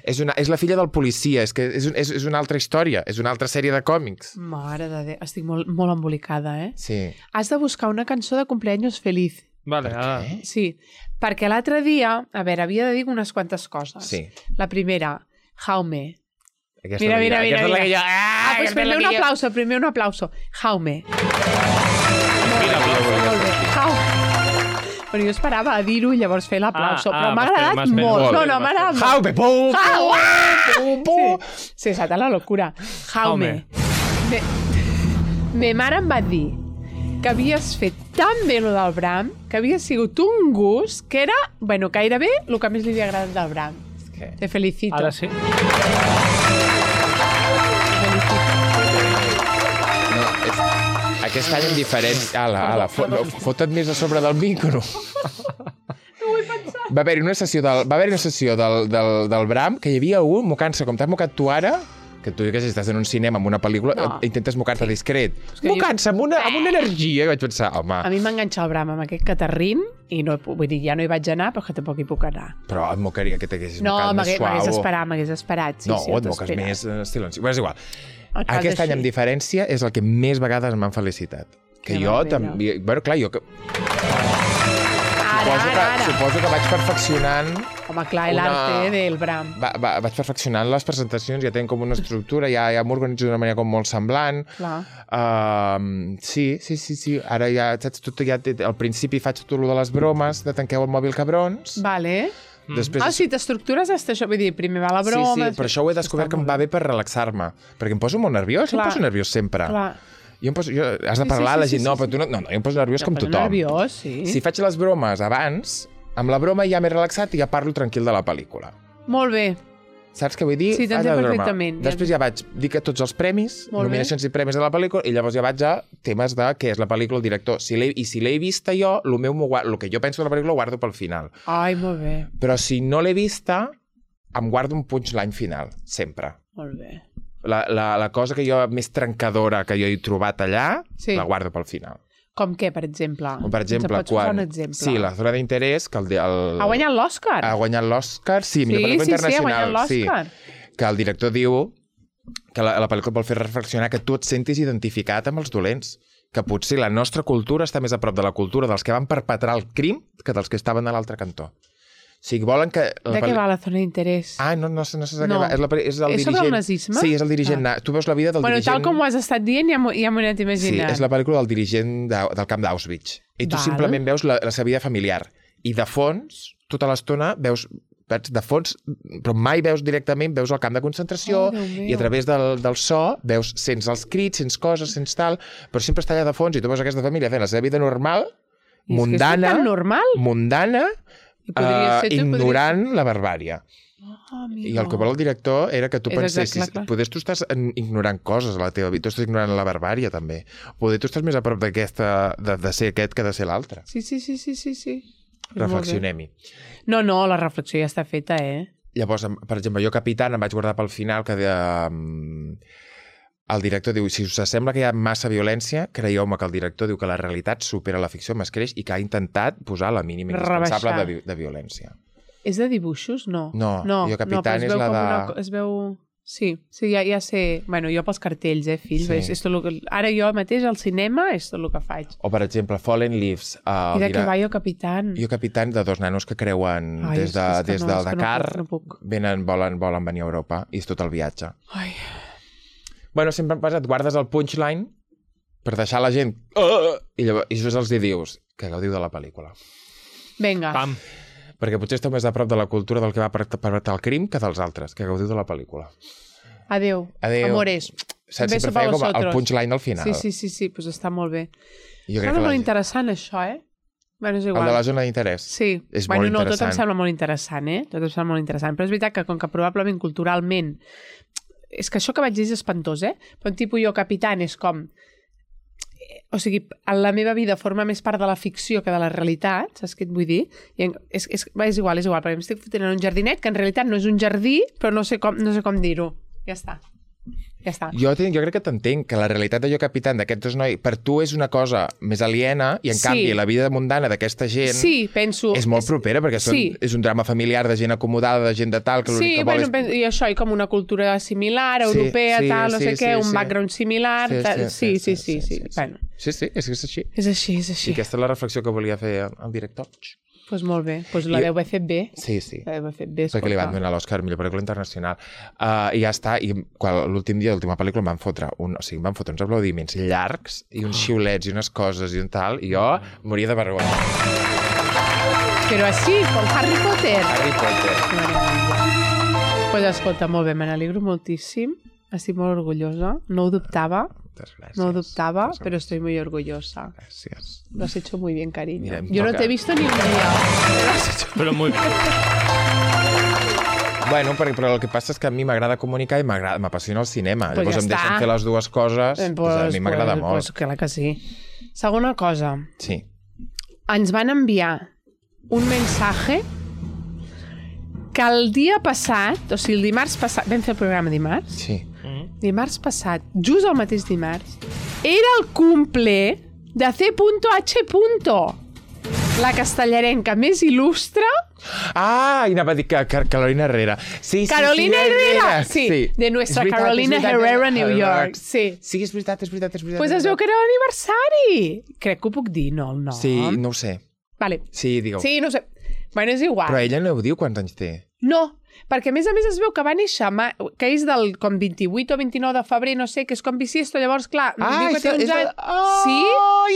És la filla del policia, és que és una altra història, és una altra sèrie de còmics. Mare de Déu, estic molt, molt embolicada, eh? Sí. Has de buscar una cançó de cumpleaños feliz. Vale, ara... Sí, perquè l'altre dia, a veure, havia de dir unes quantes coses. Sí. La primera, Jaume. Aquesta Mira, és la mira, que- mira. aquesta és la que jo... Pues primer un aplauso, primer un aplauso. Jaume. Mira, Molt bé. Jaume. Però jo esperava a dir-ho i llavors fer l'aplauso, però m'ha m'has agradat fet- molt. molt No, bé, no, m'has m'ha agradat molt. Jaume, pum, pum, pum. Sí, salta la locura. Jaume. Me mare em va dir que havies fet tan bé lo del Bram, que havia sigut un gust, que era, bueno, gairebé el que més li havia agradat del Bram. Te felicito. Ara sí. No, aquest any en diferent... Ala, fota't més a sobre del micro. No vull pensar. Va haver-hi una sessió del Bram, que hi havia un mocant-se com t'has mocat tu ara, que tu que si estàs en un cinema amb una pel·lícula intentes mocar-te discret. que Mocant-se amb una energia, vaig pensar, home... A mi m'enganxa el Bram amb aquest catarrín i no, vull dir, ja no hi vaig anar, però que tampoc hi puc anar. Però et mocaria que t'haguessis No, mocat més suau. m'hagués esperat. Sí, No, sí, et moques més silenci. Però és igual. Et fas Aquest any, així. amb diferència, és el que més vegades m'han felicitat. Que Que jo meravella. també... Bueno, clar, jo... Ara. Suposo que vaig perfeccionant... Home, clar, l'arte del Bram. Vaig perfeccionant les presentacions, ja tenen com una estructura, ja m'organitzo d'una manera com molt semblant. Clar. Sí. Ara ja, saps, al principi faig tot el de les bromes, de tanqueu el mòbil, cabrons. Vale. Després... Ah, si t'estructures hasta això, vull dir, primer va la broma... Sí, però això ho he descobert que em va bé per relaxar-me. Perquè em poso molt nerviós, jo em Clar. poso nerviós sempre. Clar. Has de parlar a la gent, no, però tu no, jo em poso nerviós com tothom. Nerviós, sí. Si faig les bromes abans, amb la broma ja m'he relaxat i ja parlo tranquil de la pel·lícula. Molt bé. Saps què vull dir? Sí, t'entenc Faig la broma. perfectament. Després ja vaig dir que tots els premis, Molt bé. nominacions i premis de la pel·lícula, i llavors ja vaig a temes de què és la pel·lícula, el director. I si l'he vista jo, el que jo penso de la pel·lícula ho guardo pel final. Ai, molt bé. Però si no l'he vista, em guardo un punchline final, sempre. Molt bé. La cosa que jo més trencadora que jo he trobat allà, Sí. la guardo pel final. Com què, per exemple? Com per exemple, Ens pots posar quan... un exemple? Sí, la zona d'interès, que Ha guanyat l'Òscar? ha guanyat l'Òscar, sí, millor pel·lícula sí, ha internacional. guanyat l'Òscar. Que el director diu que la pel·lícula vol fer reflexionar que tu et sentis identificat amb els dolents, que potser la nostra cultura està més a prop de la cultura dels que van perpetrar el crim que dels que estaven a l'altre cantó. O sigui, volen que... De què va la zona d'interès? Ah, no sé de què No. va. És el És sobre dirigent... el nazisme? Sí, és el dirigent... Ah. Tu veus la vida del Bueno, dirigent... tal com ho has estat dient, ja m'ho he anat Sí, imaginant. és la pel·lícula del dirigent del camp d'Auschwitz. I tu Val. simplement veus la seva vida familiar. I de fons, tota l'estona, veus de fons, però mai veus directament, veus el camp de concentració, Oh, Déu meu. i a través del so sents els crits, sents coses, sents tal, però sempre està allà de fons i tu veus aquesta família fent la seva vida normal, I és que mundana, és tan normal. mundana, I podria ser tu, ignorant la barbària. Oh, I el que vol el director era que tu És pensessis, exacte, clar. poder tu estàs ignorant coses a la teva vida, tu estàs ignorant la barbària també, poder tu estàs més a prop d'aquesta, de ser aquest que de ser l'altre. Sí. Reflexionem-hi. No, la reflexió ja està feta, eh? Llavors, per exemple, jo Capitán em vaig guardar pel final que el director diu, si us sembla que hi ha massa violència, creieu-me que el director diu que la realitat supera la ficció, m'escreix, i que ha intentat posar la mínima indispensable de violència. És de dibuixos? No. No, jo Capitán és la de... Es veu... Sí, ja sé... Bueno, jo pels cartells, fills. Sí. Ara jo mateix al cinema és tot el que faig. O, per exemple, Fallen Leaves. I de què va Jo Capitán? Jo Capitán, de dos nanos que creuen des del Dakar, volen venir a Europa, i és tot el viatge. Ai. Bueno, sempre et guardes el punchline per deixar la gent... I llavors els dius que gaudiu de la pel·lícula. Vinga. Pam. Perquè potser esteu més a prop de la cultura del que va perpetrar el crim que dels altres, que gaudiu de la pel·lícula. Adéu. Amores. Saps? Sempre feia com el punchline al final. Sí, doncs està molt bé. Sembla molt interessant, això, Bueno, és igual. El de la zona d'interès. Sí. És molt interessant. Tot em sembla molt interessant, Tot em sembla molt interessant. Però és veritat que com que probablement culturalment... És que això que vaig dir és espantós, Però un tipus Jo Capitán és com... O sigui, en la meva vida forma més part de la ficció que de la realitat, saps què et vull dir? I és igual, perquè m'estic fotent en un jardinet que en realitat no és un jardí, però no sé com dir-ho. Ja està. Jo crec que t'entenc, que la realitat de Jo Capitán d'aquests dos nois, per tu és una cosa més aliena, i en canvi la vida mundana d'aquesta gent és molt propera, perquè és un drama familiar de gent acomodada, de gent de tal, que l'únic que vol és... I això, i com una cultura similar, europea, tal, no sé què, un background similar... Sí. Bueno. Sí, és així. És així. I aquesta és la reflexió que volia fer el director. Doncs molt bé. Doncs la deu haver fet bé. Sí. La deu haver fet bé, perquè li van donar l'Oscar millor pel·lícula internacional. I ja està. I l'últim dia, l'última pel·lícula, em van fotre uns aplaudiments llargs i uns xiulets i unes coses i un tal, i jo moria de vergonya. Però així, com Harry Potter. Doncs escolta, molt bé, me n'alegro moltíssim. Estic molt orgullosa. No ho dubtava. No ho dubtaba, pero estoy muy orgullosa. Gracias. Lo has hecho muy bien, cariño. Yo no te he visto ni un día. Però muy bien. Bueno, però el que passa és que a mi m'agrada comunicar i m'apassiona el cinema. Pues llavors em deixen fer les dues coses, a mi m'agrada molt. Pues clar que sí. Segona cosa. Sí. Ens van enviar un mensaje que el dia passat, o sigui, el dimarts passat, vam fer el programa dimarts? Sí. Dimarts passat, just el mateix dimarts, era el cumple de C.H. La castellarenca més il·lustre. I anava a dir que Carolina Herrera. Sí, Carolina Herrera! Sí, de nuestra Carolina Herrera, New York. Sí, és veritat. Pues es veu que era l'aniversari. Crec que ho puc dir, no, el nom. Sí, no ho sé. Vale. Sí, digue-ho. Sí, no ho sé. Bueno, és igual. Però ella no ho diu quants anys té. No, perquè a més es veu que va néixer, que és del com 28 o 29 de febrer, no sé, que és com bisiesto, llavors, clar, diu que té uns anys... Sí?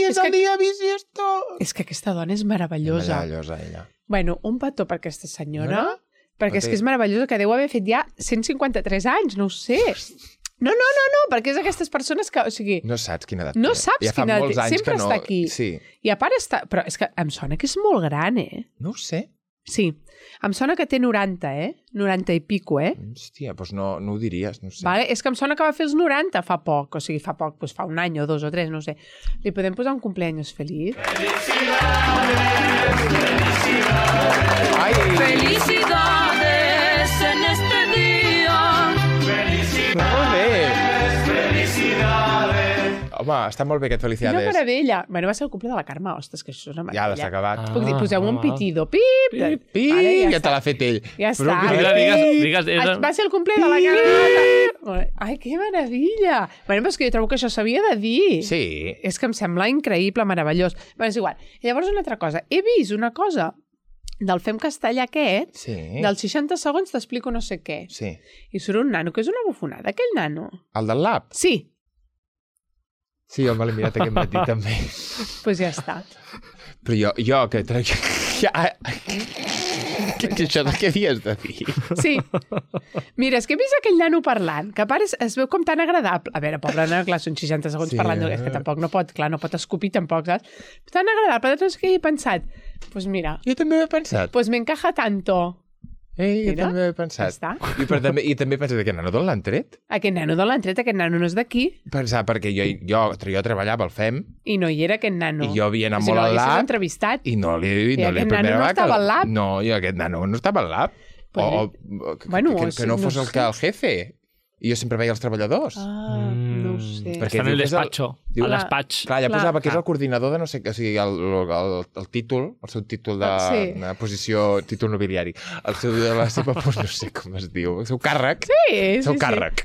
És el dia bisiesto! És que aquesta dona és meravellosa. Meravellosa, ella. Bueno, un petó per aquesta senyora, perquè és que és meravellosa, que deu haver fet ja 153 anys, no ho sé. No, perquè és d'aquestes persones que, o sigui... No saps quina edat té. No saps quina edat té, sempre està aquí. Sí. I a part està... Però és que em sona que és molt gran, No ho sé. Sí, em sona que té 90, 90 i pico, Hòstia, doncs no ho diries, no ho sé. Vale? És que em sona que va fer els 90 fa poc, o sigui, fa poc, doncs fa un any o dos o tres, no ho sé. Li podem posar un cumpleaños feliz? Ai! Felicidades en este día. Molt bé! Home, està molt bé aquest Felicidades. Quina meravella. Bueno, va ser el cumple de la Carme, ostres, que això és una meravella. Ja, s'ha acabat. Puc dir, poseu un pitido. Pip! Pip! Vale, ja te l'ha fet ell. Ja està. Digues, va ser el cumple de la Carme. Ai, que meravella. Bueno, però és que jo trobo que això s'havia de dir. Sí. És que em sembla increïble, meravellós. Bueno, és igual. I llavors una altra cosa. He vist una cosa del Fem Castellà aquest, dels 60 segons t'explico no sé què. Sí. I surt un nano, que és una bufonada, aquell nano. El del lab? Sí. Sí, jo me l'he mirat aquest matí també. Pues ja està. Però jo que... Això de què havies de dir? Sí. Mira, és que he vist aquell nano parlant, que a part es veu com tan agradable. A veure, pobre nano, clar, són 60 segons parlant, és que tampoc no pot escopir tampoc, saps? Tan agradable, doncs que he pensat, pues mira... Jo també ho he pensat. Pues me encaja tanto. Jo també ho he pensat. I també he pensat, aquest nano d'on l'han tret? Aquest nano d'on l'han tret, aquest nano no és d'aquí. Pensar, perquè jo treballava al FEM. I no hi era aquest nano. I jo havia anat molt al lab. entrevistat. I no li... I aquest nano no estava al lab. No, i aquest nano no estava al lab. que no fos el jefe. I jo sempre veia els treballadors. No ho sé. Està en el despacho. Diu, a despatx. Clar, ja posava que és el coordinador de no sé què, o sigui, el títol, el seu títol de posició, títol nobiliari, la seva, no sé com es diu, el seu càrrec.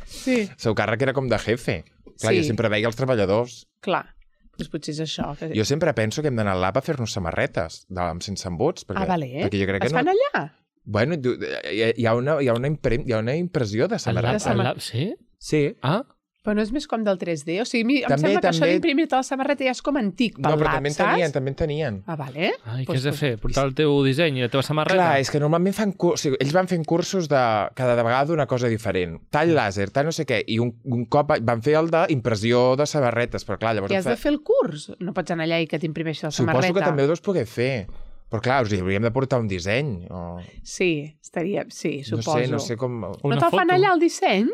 Sí. El seu càrrec era com de jefe. Clar, jo sempre veia els treballadors. Clar, doncs potser és això. Jo sempre penso que hem d'anar al lab a fer-nos samarretes sense embuts. Vale. Perquè jo crec que es fan allà? Bueno, hi ha una impressió de samarreta. Sí? Sí. Ah? Però no és més com del 3D? O sigui, em sembla que això d'imprimir-te la samarreta ja és com antic pel lab, saps? També en tenien. Vale. Ai, què has de fer? Portar el teu disseny i la teva samarreta? Clar, és que normalment fan cursos... Ells van fent cursos de cada vegada una cosa diferent. Tall làser, tall no sé què. I un cop van fer el d'impressió de samarretes, però clar, llavors... I has de fer el curs? No pots anar allà i que t'imprimeixi la samarreta? Suposo que també ho deus poder fer. Però clar, hauríem de portar un disseny. Sí, suposo. No sé com... No te'l fan allà el disseny?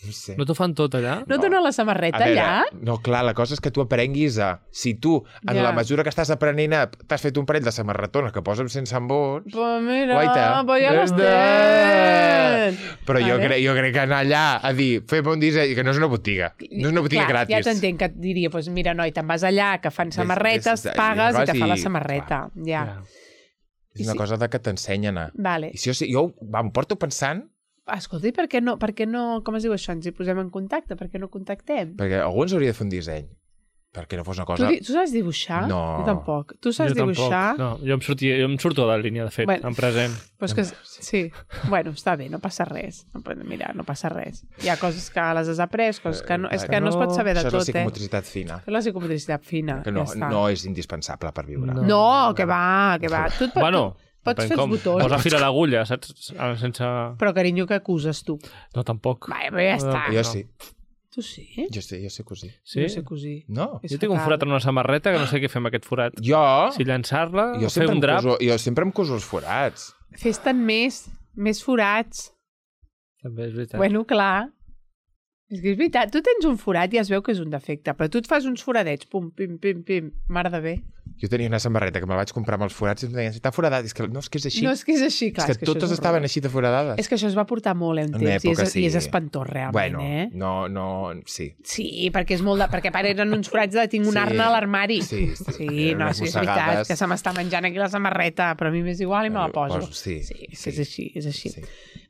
No sé. No t'ho fan tot allà? No donen la samarreta allà? No, clar, la cosa és que tu aprenguis a... Si tu, en la mesura que estàs aprenent, t'has fet un parell de samarretones que posen sense embuts... Pues mira, guaita. pues ja les tens. Però jo crec que anar allà a dir, fem un disseny, que no és una botiga. No és una botiga gratis. Ja t'entenc que et diria, pues mira, noi, te'n vas allà, que fan samarretes, pagues i te fa la samarreta. Ja. És una cosa que t'ensenyen a... Vale. I si jo em porto pensant... Escolta, i per què no, com es diu això, ens hi posem en contacte? Per què no contactem? Perquè algú ens hauria de fer un disseny. Perquè no fos una cosa... Tu saps dibuixar? No. Jo tampoc. Tu saps dibuixar? No, jo em surto de la línia, de fet, en present. Pues que, sí. Bueno, està bé, no passa res. Mira, no passa res. Hi ha coses que les has après, coses que no... És que no es pot saber de tot, Això és la psicomotricitat fina. És la psicomotricitat fina, que no és indispensable per viure. No, que va. Tu pots fer els botons. Posa fil a l'agulla, saps? Sense... Però, carinyo, què acuses, tu? No, tampoc. Va, però ja està. Jo sí. Tu sí? Jo sé cosir. Sí? No sé cosir. No. Jo tinc un forat en una samarreta que no sé què fer amb aquest forat. Jo? Si llançar-la o fer sempre un drap... Jo sempre em coso els forats. Fes-te'n més forats. També és veritat. Bueno, clar. És que és veritat. Tu tens un forat i es veu que és un defecte, però tu et fas uns foradets, pum, pim, pim, pim, mare de bé. Jo tenia una samarreta que me la vaig comprar amb els forats i em deien, està foradat. No, és que és així. No, és que és així, clar. És que totes estaven així de foradades. És que això es va portar molt en temps i és espantós, realment, bueno, no, sí. Sí, perquè és molt de... Perquè a part eren uns forats de tinc un arna a l'armari. Sí, no, sí, és veritat, que se m'està menjant aquí la samarreta, però a mi m'és igual i me la poso. Sí, és així.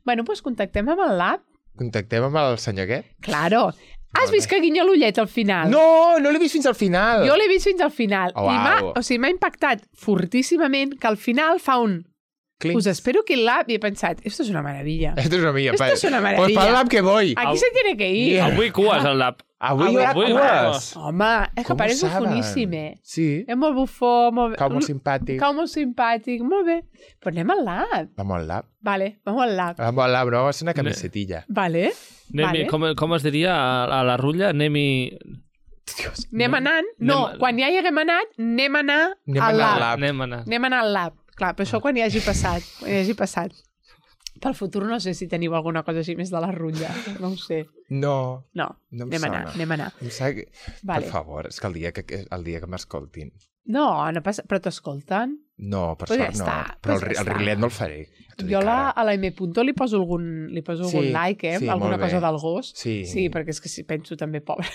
Bueno, doncs contactem amb el lab. Contactem amb el senyor aquest? Claro. Has vist que guinya l'ullet al final? No l'he vist fins al final. Jo l'he vist fins al final. Oh, wow. I m'ha impactat fortíssimament que al final fa un... Clinc. Pues espero que el lab... I he pensat, esto es una maravilla. Esto es una maravilla. Esto es una maravilla. Pues para el lab que voy. Aquí se tiene que ir. Avui cues al lab. Avui hi haurà cues. Home, és que pareix bufoníssim, Sí. És molt bufó, molt bé. Cau molt simpàtic. Cau molt simpàtic, molt bé. Però anem al lab. Vamos al lab. Vale, vamos al lab. Vamos al lab, no? És una camisetilla. Vale. Com es diria a la rutlla? Anem-hi... Anem anant? No, quan ja hi haguem anat, anem a anar al lab. Anem a anar al lab. Clar, però això quan hi hagi passat. Pel futur no sé si teniu alguna cosa així més de la rutlla. No ho sé. No. Anem a anar. Per favor, és que el dia que m'escoltin. No passa... Però t'escolten? No, per sort no. Però el rilet no el faré. Jo a la M. li poso algun like, alguna cosa del gos. Sí, perquè és que si penso també, pobre.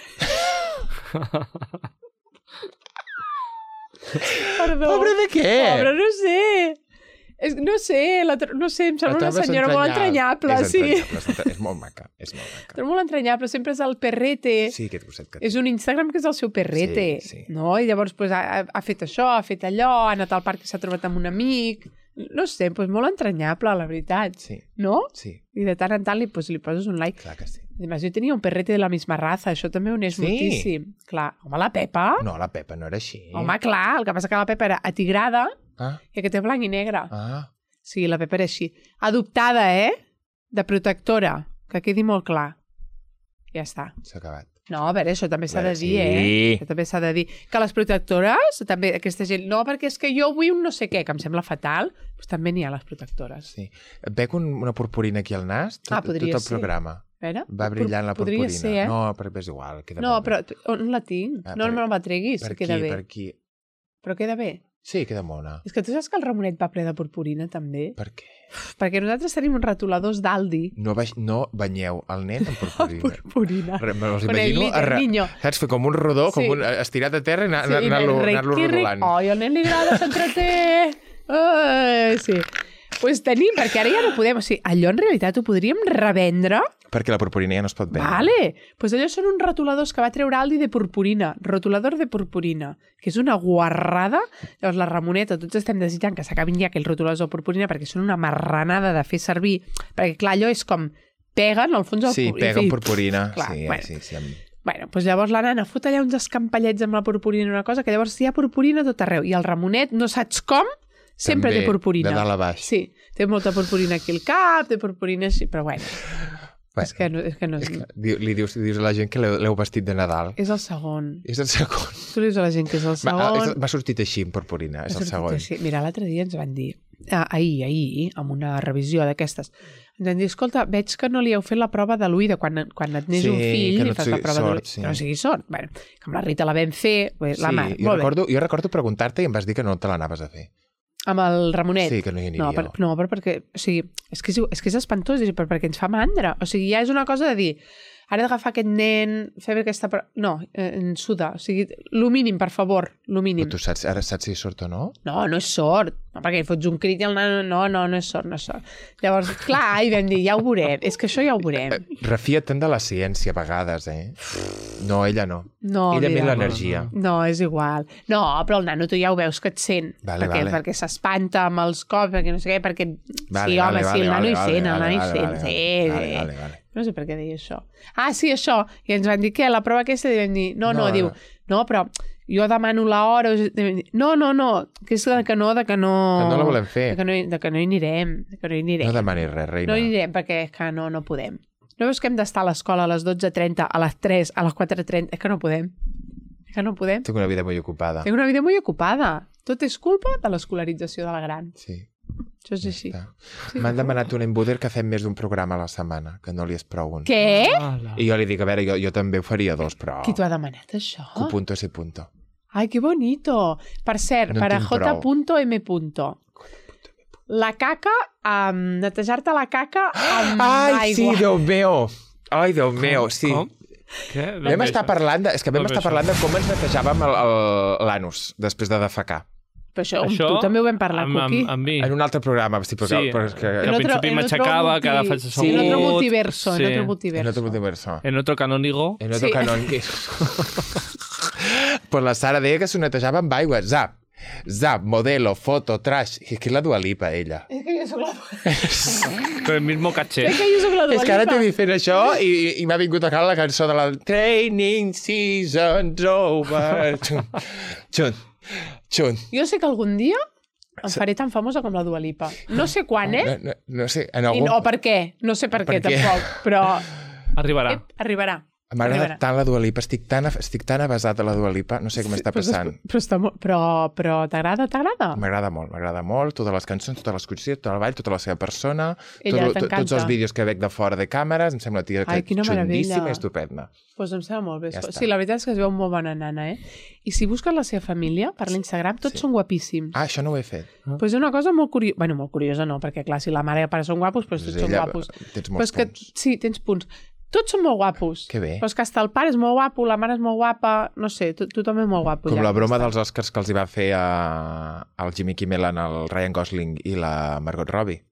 Perdó. Pobre de què? Pobre, no sé. No sé, em sembla una senyora molt entranyable. És molt maca. És molt entranyable, sempre és el perrete. Sí, aquest gosset que... És un Instagram que és el seu perrete. Sí. No? I llavors ha fet això, ha fet allò, ha anat al parc i s'ha trobat amb un amic. No sé, molt entranyable, la veritat. Sí. No? Sí. I de tant en tant li poses un like. Clar que sí. Además, jo tenia un perrete de la misma raza, això també ho uneix moltíssim. Clar, home, la Pepa... No, la Pepa no era així. Home, clar, el que passa que la Pepa era atigrada i que té blanc i negre. Sí, la Pepa era així. Adoptada, de protectora, que quedi molt clar. Ja està. S'ha acabat. No, a veure, això també s'ha de dir, Això també s'ha de dir. Que les protectores, també aquesta gent... No, perquè és que jo vull un no sé què, que em sembla fatal, doncs també n'hi ha les protectores. Sí. Et veig una purpurina aquí al nas, tot el programa. Va brillant la purpurina. Podria ser, No, però és igual. No, però on la tinc? No me la treguis, queda bé. Per aquí. Però queda bé. Sí, queda mona. És que tu saps que el Ramonet va ple de purpurina, també? Per què? Perquè nosaltres tenim uns retoladors d'Aldi. No banyeu el nen amb purpurina. Purpurina. Me'ls Con el imagino glitter, niño. saps, fer com un rodó, Sí. com un estirat a terra i Sí, anar-lo rodolant. Ai, al nen li agrada, s'entreté. Sí. Pues tenim, perquè ara ja no podem. O sigui, allò en realitat ho podríem revendre. Perquè la purpurina ja no es pot vendre. Vale. Pues allò són uns rotuladors que va treure Aldi de purpurina. Rotulador de purpurina. Que és una guarrada. Llavors la Ramoneta, tots estem desitjant que s'acabin ja aquells rotuladors de purpurina perquè són una marranada de fer servir. Perquè, clar, allò és com peguen al fons del Sí, peguen purpurina. Clar, Sí, bueno. sí. Bueno, doncs llavors la nana fot allà uns escampallets amb la purpurina, una cosa que llavors hi ha purpurina tot arreu. I el Ramonet, no saps com, sempre També, té purpurina. de dalt a baix. Sí, té molta purpurina aquí al cap, té purpurina així, però bueno. Bueno, És que no és... li dius a la gent que l'heu vestit de Nadal. És el segon. És el segon. Tu li dius a la gent que és el segon. M'ha sortit així, en purpurina, és el segon. Sí. Mira, l'altre dia ens van dir, ahir, amb una revisió d'aquestes, ens van dir, escolta, veig que no li heu fet la prova de l'ull de quan et neix un fill i fas la prova de l'ull. Sí. Que no sigui sort. Bueno, que amb la Rita la vam fer, la Sí, mar. jo recordo preguntar-te i em vas dir que no te l'anaves a fer. Amb el Ramonet. Sí, que no hi aniria. No, perquè, o sigui, és que és espantós, perquè ens fa mandra. O sigui, ja és una cosa de dir, ara he d'agafar aquest nen, fer aquesta... No, en suda. O sigui, lo mínim, per favor, lo mínim. Però tu ara saps si és sort o no? No és sort. No, perquè fots un crit i el nano... No és sort, no és sort. Llavors, clar, i vam dir, ja ho veurem. És que això ja ho veurem. Refia't de la ciència a vegades, eh? No, ella no. No, ella mira, més l'energia. No, és igual. No, però el nano tu ja ho veus que et sent. Vale, perquè s'espanta amb els cops, perquè no sé què, perquè... Vale, sí, home, vale, sí, el nano hi vale, sent, el vale, nano hi vale, sent. vale, Sí, vale. No sé per què deia això. Ah, sí, això. I ens van dir, què, la prova aquesta? I vam dir, no, diu, no, però jo demano l'hora. No, que és que no... Que no la volem fer. De que no hi anirem. No demanis res, reina. No hi anirem perquè és que no podem. No veus que hem d'estar a l'escola a les 12:30, a les 3, a les 4:30? És que no podem. Tinc una vida molt ocupada. Tinc una vida molt ocupada. Tot és culpa de l'escolarització de la gran. Sí. Això és així. Sí. M'han demanat un embuder que fem més d'un programa a la setmana, que no li és prou un. Què? I jo li dic, a veure, jo també ho faria dos, però... Qui t'ho ha demanat, això? Q punto ese punto. Ai, que bonito. Per cert, No para en tinc prou. J.M. La caca, netejar-te la caca amb aigua. Ai, sí, Déu meu! Ai, Déu meu, sí. Com? Què? Vam estar parlant de com ens netejàvem l'anus després de defecar. Però això, tu també ho vam parlar, Cuqui. Amb mi. En un altre programa, sí, però Sí, però és que... al principi m'aixecava, que ara faig assegut. Sí, en otro multiverso, Sí. en otro En multiverso. otro multiverso. En otro canónigo. En otro Sí. canon. Pues la Sara deia que s'ho netejava amb aigua. Zap, modelo, foto, trash. És que és la Dua Lipa, ella. És que jo soc la... Con el mismo caché. És que jo soc la Dua És que ara Lipa. t'he dit fent això i m'ha vingut a cal la cançó de la Training Season's Over. Xun. Jo sé que algun dia em faré tan famosa com la Dua Lipa. No sé quan, No sé, en I algun... no, per què? No sé per què, Per què? tampoc. Però Arribarà. arribarà. M'agrada tant la Dua Lipa, estic tan avasat a la Dua Lipa, no sé què m'està passant. Però t'agrada? M'agrada molt, totes les cançons, totes les coreografies, tot el ball, tota la seva persona, Ella t'encanta. tots els vídeos que veig de fora de càmeres, em sembla tia Ai, que quina meravella. xundíssima i estupenda. Doncs em sembla molt bé. Ja està. Sí, la veritat és que es veu molt bona nana, eh? I si busques la seva família per l'Instagram, tots són guapíssims. Ah, això no ho he fet. Doncs és una cosa molt curiosa. Bueno, molt curiosa no, perquè clar, si la mare i el pare són guapos, doncs tots són Ella- guapos. Tens Però molts és que, punts. sí, tens punts. Tots són molt guapos. Que bé. Però és que hasta el pare és molt guapo, la mare és molt guapa, no sé, tothom és molt guapo. Com ja. la broma dels Oscars que els hi va fer al Jimmy Kimmel, el Ryan Gosling i la Margot Robbie.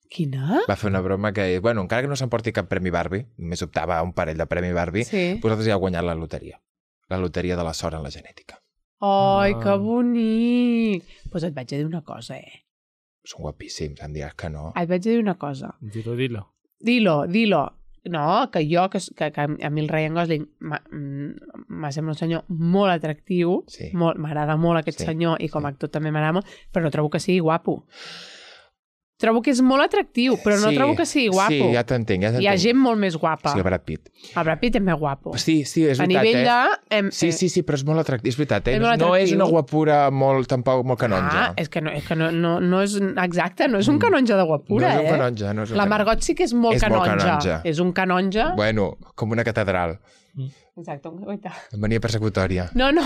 Quina? Va fer una broma que, bueno, encara que no s'emporti cap premi Barbie, només optava a un parell de premi Barbie, Sí. vosaltres ja heu guanyat la loteria. La loteria de la sort en la genètica. Ai, que bonic! Doncs et vaig a dir una cosa, Són guapíssims, em diràs que no. Et vaig a dir una cosa. Dilo. Dilo. No, que a mi el Ryan Gosling m'ha semblat un senyor molt atractiu, Sí. m'agrada molt aquest senyor i com a actor també m'agrada molt, però no trobo que sigui guapo. Trobo que és molt atractiu, però no trobo que sigui guapo. Sí, ja t'entenc, Hi ha gent molt més guapa. Sí, el Brad Pitt. El Brad Pitt és més guapo. Sí, és veritat, a nivell de... Sí, però és molt atractiu, és veritat, És molt no és atractiu. una guapura tampoc molt canonja. És que no és... Exacte, no és un canonja de guapura, No és un canonja, no és un La canonja. Margot sí que és molt És molt canonja. canonja. És un canonja. Bueno, com una catedral. Exacte, un guaita. Mania persecutòria. No, no.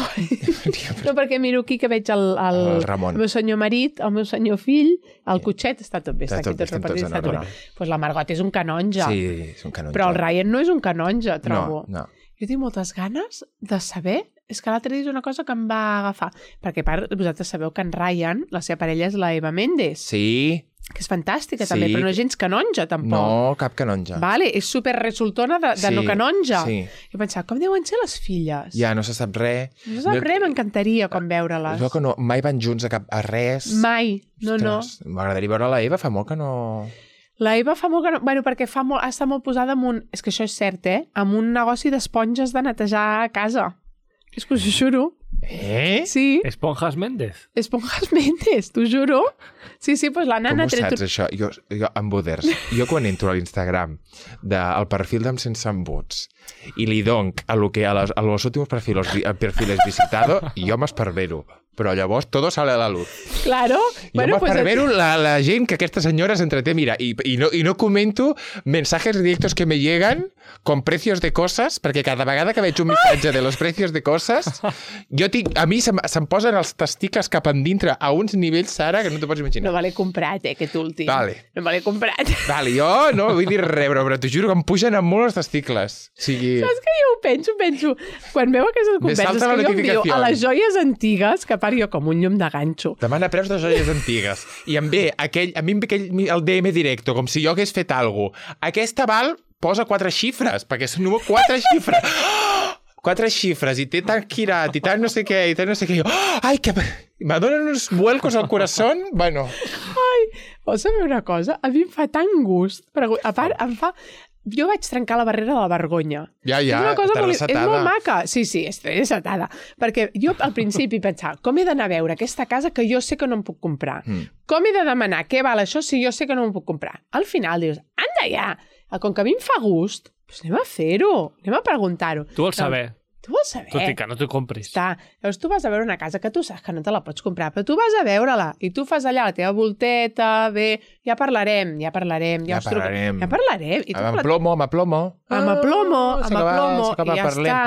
No, perquè miro aquí que veig el Ramon. meu senyor marit, el meu senyor fill, el cotxet, està tot bé, està aquí tot estem repartit, tots en està tot ordre. bé. Doncs la Margot és un canonge. Sí, és un canonge. Però el Ryan no és un canonge, trobo. No. Jo tinc moltes ganes de saber... És que l'altre dia és una cosa que em va agafar. Perquè, a part, vosaltres sabeu que en Ryan, la seva parella és la Eva Méndez, Sí. que és fantàstica Sí. també, però no és gens canonja, tampoc. No, cap canonge. Vale, és super resultona de no canonja. Sí. Jo pensava, com deuen ser les filles? Ja, no se sap res. No sap res, m'encantaria com veure-les. Es veu que no, mai van junts a res. Mai, no. Ostres, m'agradaria veure la Eva, fa molt que no... La Eva fa molt que no... Bueno, perquè està molt posada en un... És que això és cert, amb un negoci d'esponges de netejar a casa. És que us ho juro. Sí. Esponjas Méndez. Esponjas Méndez, t'ho juro. Sí, pues la nana... Com ho saps, això? Jo amb Buders, jo quan entro a l'Instagram al perfil d'Em Sense Embuts i li donc a los últimos perfiles visitado, jo m'esparvero. Però llavors todo sale a la luz. Claro. Jo m'esparvero la gent que aquesta senyora s'entreté. Mira, i no comento mensajes directos que me llegan con precios de cosas, perquè cada vegada que veig un missatge de los precios de cosas, a mi se'm posen els testicles cap endintre a uns nivells, Sara, que no t'ho pots imaginar. No me l'he comprat, aquest últim. Vale. No me l'he comprat. Vale, jo no vull dir res, però t'ho juro que em pugen amb molt els testicles. O sigui... Saps que jo ho penso? Quan veu aquestes converses que jo em diu a les joies antigues, que a part jo com un llum de ganxo. Demana preus de joies antigues. I a mi em ve el DM directo, com si jo hagués fet alguna cosa. Aquesta val posa 4 xifres, perquè és un número 4 xifres. 4 xifres, i té tan girat, i tant no sé què, i tant no sé què. Ai, que... Me donen uns vuelcos al corazón. Bueno. Ai, vols saber una cosa? A mi em fa tant gust. A part, em fa... Jo vaig trencar la barrera de la vergonya. Ja, és una cosa està És resetada. molt maca. Sí, estic resetada. Perquè jo al principi pensava, com he d'anar a veure aquesta casa que jo sé que no em puc comprar? Com he de demanar què val això si jo sé que no em puc comprar? Al final dius, anda ja! Com que a mi em fa gust, doncs anem a fer-ho, anem a preguntar-ho. Tu vols saber. Tu vols saber. Tot i que no t'ho compris. Llavors tu vas a veure una casa que tu saps que no te la pots comprar, però tu vas a veure-la i tu fas allà la teva volteta, bé, ja parlarem. Ja parlarem. I Amb plomo. I ja està.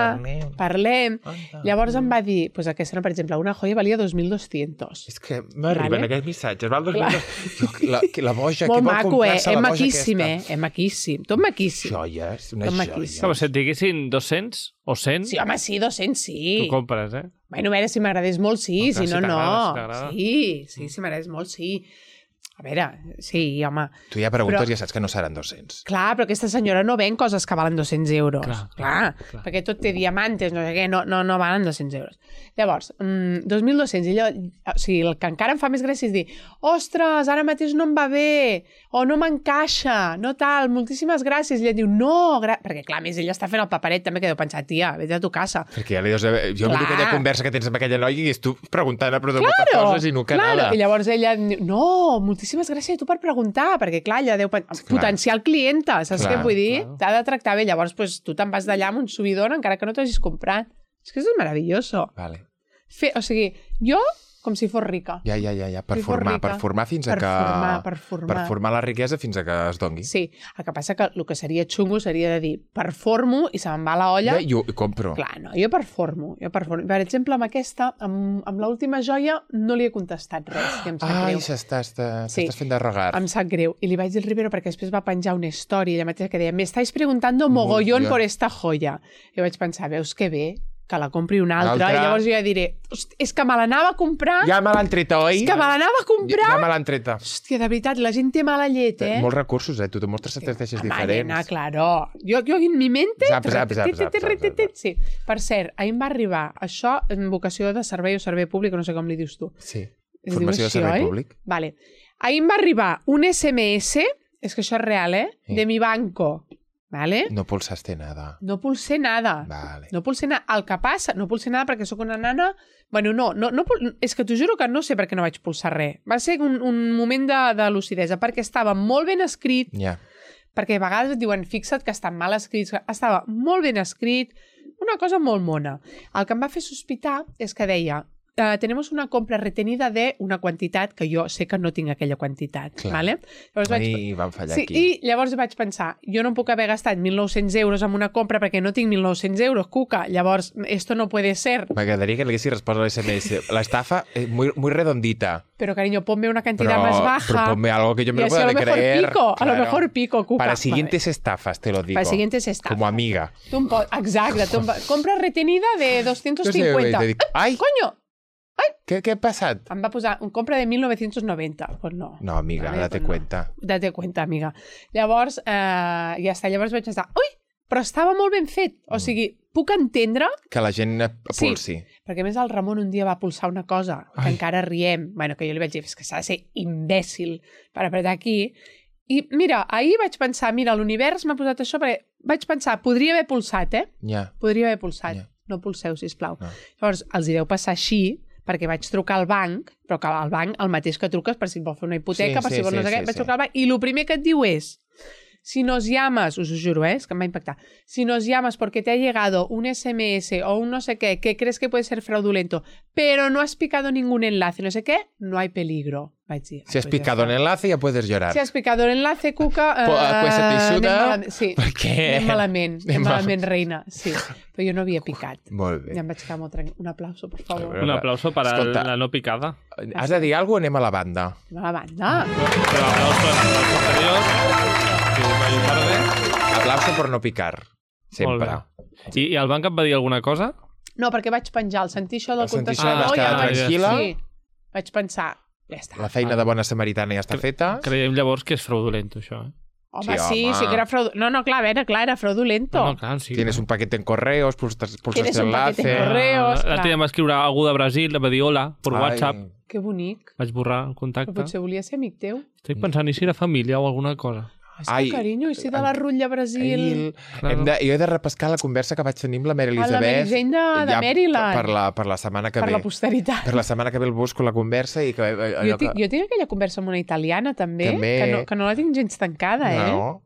Parlem. Llavors em va dir, doncs aquesta, per exemple, una joia valia 2.200. És que m'arriben aquests missatges. Val 2.200. La boja, molt qui vol maco, comprar-se la boja maquíssim, aquesta? maquíssim. Tot maquíssim. Joies, una joia. Com si et diguessin 200 o 100, Sí, home, sí, 200, sí. tu compres, Bueno, a veure, si m'agradés molt, sí, Clar, si no, si no. t'agrada. Sí, si m'agradés molt, sí. A veure, sí, home. Tu ja preguntes i ja saps que no seran 200. Clar, però aquesta senyora no ven coses que valen 200 euros. Clar. Perquè tot té diamantes, no sé què, no valen 200 euros. Llavors, 2.200, i allò, o sigui, el que encara em fa més gràcia és dir, ostres, ara mateix no em va bé, o no m'encaixa, no tal, moltíssimes gràcies. I ella diu, no, perquè clar, a més ella està fent el paperet també, que deu pensar, tia, vés a tu casa. Perquè ja li dius, jo em dic aquella conversa que tens amb aquella noia i és tu preguntant a moltes coses i no que nada. I llavors ella diu, no, moltíssimes gràcies a tu per preguntar, perquè clar, ella deu potencial clienta, saps què vull dir? T'ha de tractar bé, llavors pues, tu te'n vas d'allà amb un subidon encara que no t'hagis comprat. És que és meravelloso. Vale. O sigui, jo com si fos rica. Ja, per formar fins a que... Per formar. Per formar la riquesa fins a que es dongui. Sí, el que passa que el que seria xungo seria de dir, performo i se me'n va la olla. Ja, jo compro. Clar, no, jo performo. Per exemple, amb aquesta, amb l'última joia, no li he contestat res, i em sap greu. T'estàs fent de regar. Em sap greu. I li vaig dir al Rivero perquè després va penjar una història, ella mateixa que deia, me estáis preguntando mogollón por esta joya. I vaig pensar, veus que bé, que la compri una altra, i llavors jo ja diré, és que me l'anava a comprar. Ja me l'han treta, oi? És que me l'anava a comprar. Ja me l'han treta. Hòstia, de veritat, la gent té mala llet, Molts recursos, tu te mostres estratègies diferents. Nena, claro. Jo en mi mente... Zap. Sí. Per cert, ahir em va arribar això en vocació de servei o servei públic, no sé com li dius tu. Sí. Formació de servei públic. Vale. Ahir em va arribar un SMS, és que això és real, de mi banco. ¿Vale? No pulsaste nada. No pulsé nada. Vale. No pulsé nada. El que passa, no pulsé nada perquè sóc una nana... Bueno, no, és que t'ho juro que no sé per què no vaig pulsar res. Va ser un moment de lucidesa, perquè estava molt ben escrit, perquè a vegades et diuen, fixa't que estan mal escrits. Estava molt ben escrit, una cosa molt mona. El que em va fer sospitar és que deia, tenemos una compra retenida de una quantitat, que jo sé que no tinc aquella quantitat. Clar. Vale? Llavors Ai, vam fallar sí, aquí. I llavors vaig pensar, jo no em puc haver gastat 1.900 euros en una compra perquè no tinc 1.900 euros, cuca. Llavors, esto no puede ser. M'agradaria que le haguessis respost al SMS. La estafa es muy redondita. Pero, cariño, ponme una cantidad más baja. Pero ponme algo que yo me y lo así pueda a lo mejor creer. pico, a lo Claro. mejor pico, cuca. Para siguientes estafas, te lo digo. Para siguientes estafas. Como amiga. Exacte. Compra retenida de 250. Te dic, ai, Coño! què ha passat? Em va posar un compra de 1990. Pues no. No, amiga, Vale, date pues no. cuenta. Date cuenta, amiga. Llavors, ja està. Llavors vaig pensar, ui, però estava molt ben fet. O sigui, puc entendre... Que la gent pulsi. Perquè a més el Ramon un dia va pulsar una cosa que encara riem. Bueno, que jo li vaig dir, és que s'ha de ser imbècil per apretar aquí. I mira, ahir vaig pensar, mira, l'univers m'ha posat això perquè vaig pensar, podria haver pulsat, Ja. Podria haver pulsat. Ja. No pulseu, sisplau. No. Llavors, els hi deu passar així, perquè vaig trucar al banc, però que al banc el mateix que truques per si et vol fer una hipoteca, Sí, per sí, si vol no sí, sé què, sí, vaig sí. trucar al banc, i el primer que et diu és, si nos llamas, us ho juro, és que em va impactar, si nos llamas porque te ha llegado un SMS o un no sé qué que crees que puede ser fraudulento, pero no has picado ningún enlace, no sé qué, no hay peligro. Vaig dir, Si has picado en el enlace ya puedes llorar. Si has picado el enlace, Cuca... Pues te xuda, sí, perquè- anem malament, reina. Sí, però jo no havia picat. Molt bé. Ja em vaig quedar molt tranquil. Un aplauso, por favor. Un aplauso para Escolta. la no picada. Has de dir alguna cosa o anem a la banda? A la banda. Pero aplauso al posterior. Que vagi tarde. Aplauso por no picar. Sempre. Molt bé. I el banc et va dir alguna cosa? No, perquè vaig penjar. Al sentir això del Al sentir això contestador... vas quedar vaig... tranquil·la? Sí. Vaig pensar, ja està. La feina de bona samaritana ja està feta. Creiem llavors que és fraudulento, això. Home, Sí, home. sí que era fraudulento. No, clar, a veure, clar, era fraudulento. No, clar, sí. Tienes un paquete en correos, pulsas Tienes un paquete en enlace. correos. L'altre dia em va escriure algú de Brasil, em va dir hola, per WhatsApp. Que bonic. Vaig borrar el Però contacte. potser volia ser amic teu. Estic pensant, i si era família o alguna cosa? És que, carinyo, i si de la rutlla a Brasil... Claro. Jo he de repescar la conversa que vaig tenir amb la Mary Ah, la Elizabeth. Mary Jane de Maryland. Per la setmana que Per ve. la posteritat. Per la setmana que ve el busco la conversa i que... Jo tinc aquella conversa amb una italiana, també, També. que no la tinc gens tancada, No,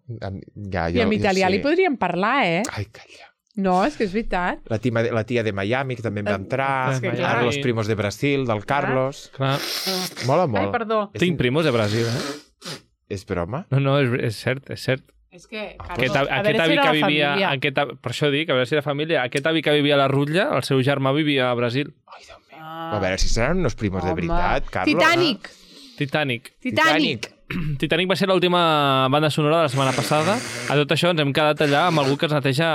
ja, I amb italià li podríem parlar, Ai, calla. No, és que és veritat. La tia de Miami, que també em va entrar. És que clar. Los primos de Brasil, del Carlos. Clar. Mola Ai, molt. perdó. Tinc primos de Brasil, És broma? No, és cert, és cert. És que, Aquest, Carlos, a aquest veure si avi era que la vivia... família. Per això dic, a veure si era família. Aquest avi que vivia a la Rutlla, el seu germà vivia a Brasil. Ai, Déu meu. Ah. A veure si seran unos primos de Home. veritat, Carlos. Titanic! Titanic. Titanic! Titanic va ser l'última banda sonora de la setmana passada. A tot això ens hem quedat allà amb algú que es neteja...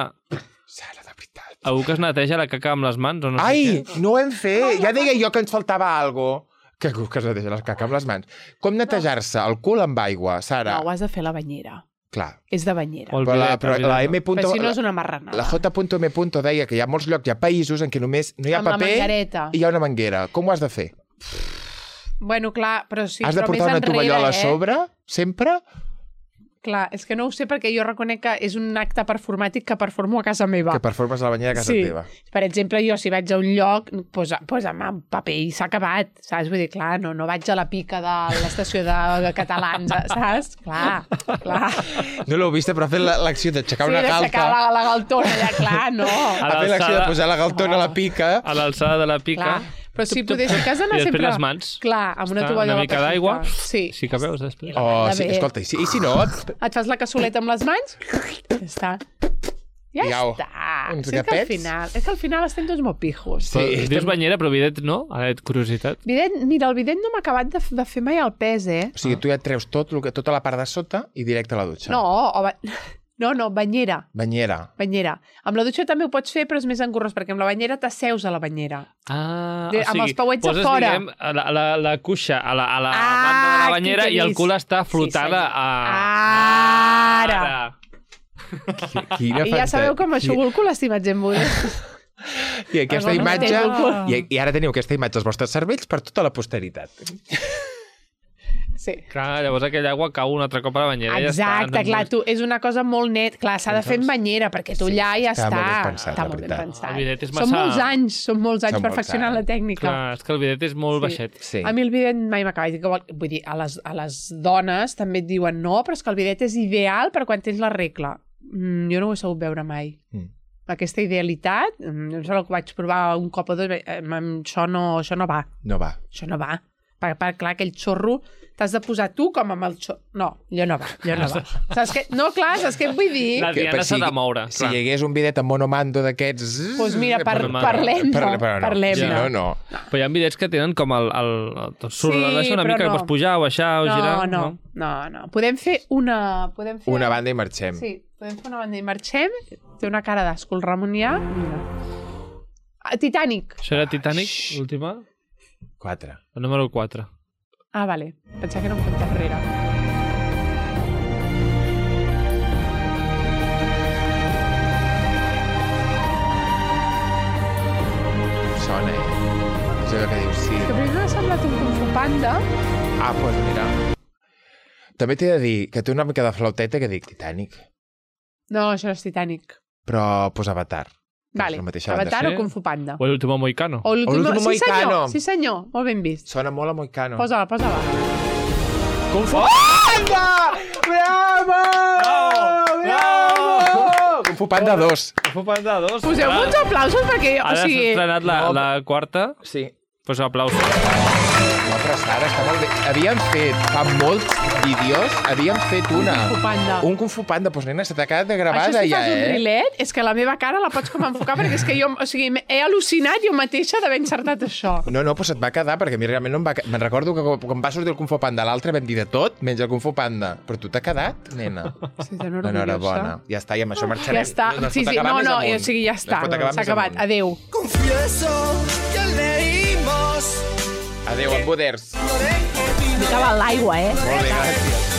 Sara, de veritat. Algú que es neteja la caca amb les mans, o no sé Ai, què. no ho hem fet. Ja deia jo que ens faltava algo. Que es neteja la caca amb les mans. Com netejar-se el cul amb aigua, Sara? No, ho has de fer a la banyera. Clar. És de banyera. O el Però la, bidet, però el la bidet. M. Però si no és una marranada. La J.M. deia que hi ha molts llocs, hi ha països en què només no hi ha Amb la paper manguereta. i hi ha una manguera. Com ho has de fer? Bueno, clar, però sí, Has de però portar més una tovallola a enrere, sobre, sempre? Clar, és que no ho sé perquè jo reconec que és un acte performàtic que performo a casa meva. Que performes a la banyera a casa teva. Per exemple, jo si vaig a un lloc, posa'm un paper i s'ha acabat, saps? Vull dir, clar, no vaig a la pica de l'estació de catalans, saps? Clar. No l'heu vist, però ha fet l'acció d'aixecar una galta. d'aixecar la galtona, ja, clar, no. Ha fet l'acció de posar la galtona a la pica. A l'alçada de la pica. Clar. Però si has d'anar I després sempre... les mans. Clar, amb una Està tovallola una mica d'aigua. Sí. Sí que veus després. Oh, Va sí, bé. escolta, i si no... Et fas la cassoleta amb les mans, ja està. Ja Iau. està. Uns Sí, gapets. és que al final estem tots molt pijos. Sí, Dius banyera, però bidet no? Ara et curiositat. Mira, el bidet no m'ha acabat de fer mai el pes, O sigui, tu ja et treus tota la part de sota i directe a la dutxa. No, banyera. Banyera. Amb la dutxa també ho pots fer, però és més engorrós, perquè amb la banyera t'asseus a la banyera. Ah, Amb els pauets a fora. Diguem, la cuixa a la banda de la banyera i el cul està flotant Ara! Quina I ja sabeu que m'aixugo el cul, estimats embudits. I aquesta Perdona, imatge... tens el cul. I ara teniu aquesta imatge als vostres cervells per tota la posteritat. Sí. Clar, llavors aquella aigua cau un altre cop a la banyera i ja està. Exacte, clar, és una cosa molt net. Clar, s'ha de fer en banyera, perquè tu allà ja està està. molt ben pensat, Està la molt ben veritat. pensat. El bidet és Són massa- molts anys Són molts perfeccionant la anys. tècnica. Clar, és que el bidet és molt Sí. baixet. Sí. A mi el bidet mai m'ha acabat. Vull dir, a les dones també et diuen no, però és que el bidet és ideal per quan tens la regla. Jo no ho he sabut veure mai. aquesta idealitat, em sembla que ho vaig provar un cop o dos, això no va. No va. Això no va. Perquè clar, aquell xorro t'has de posar tu com amb el xorro. No, allò no va, allò no va. Saps què? No, clar, saps què et vull dir? La Diana s'ha de moure. Si hi hagués un bidet amb monomando d'aquests... Doncs mira, parlem-ne. Si no, no. Però hi ha bidets que tenen com el surt Sí, una mica però que no. pots pujar o baixar o girar. No. Podem fer una... Una banda i marxem. Sí, podem fer una banda i marxem. Té una cara d'asco el Ramonià. Mira. Titanic. Això era Titanic, l'última? 4. El número 4. Ah, vale. Pensava que era un compte enrere. Sona, És allò que dius, sí. Que primer m'ha semblat un Kung Fu Panda. Ah, doncs mira. També t'he de dir que té una mica de flauteta que dic Titanic, No, això no és Titanic. però Avatar. Vale, És la mateixa banda. Avatar Sí? o Kung Fu Panda. O l'último Moicano. O l'último Sí, senyor, Mohicano. sí, senyor. Molt ben vist. Sona molt a Moicano. Posa-la. Kung Fu Panda! Bravo! Bravo! Kung Fu Panda 2. Kung Fu Panda 2. Poseu-me uns aplausos perquè, o Ara s'ha sigui... estrenat la quarta, Sí. doncs aplausos. No, però Sara, està molt bé. Havíem fet, fa molts vídeos, havíem fet una. Kung Fu Panda. Un Kung Fu Panda, doncs nena, se t'ha quedat de Això gravada si ja, fas un rilet, és que la meva cara la pots com enfocar, perquè és que jo, o sigui, he al·lucinat jo mateixa d'haver encertat això. No, però se't va quedar, perquè a mi realment no em va... Me'n recordo que quan va sortir el Kung Fu Panda l'altre vam dir de tot, menys el Kung Fu Panda. Però tu t'ha quedat, nena. Sí, tan orgullosa. Enhorabona. Ja està, i amb això marxarem. Ja està. No es Sí, pot sí, acabar més o amunt. sigui, ja està. No es pot acabar S'ha més acabat. amunt. Adéu. Confieso que leímos. Adéu, en poders. Acaba l'aigua, Molt bé, gràcies.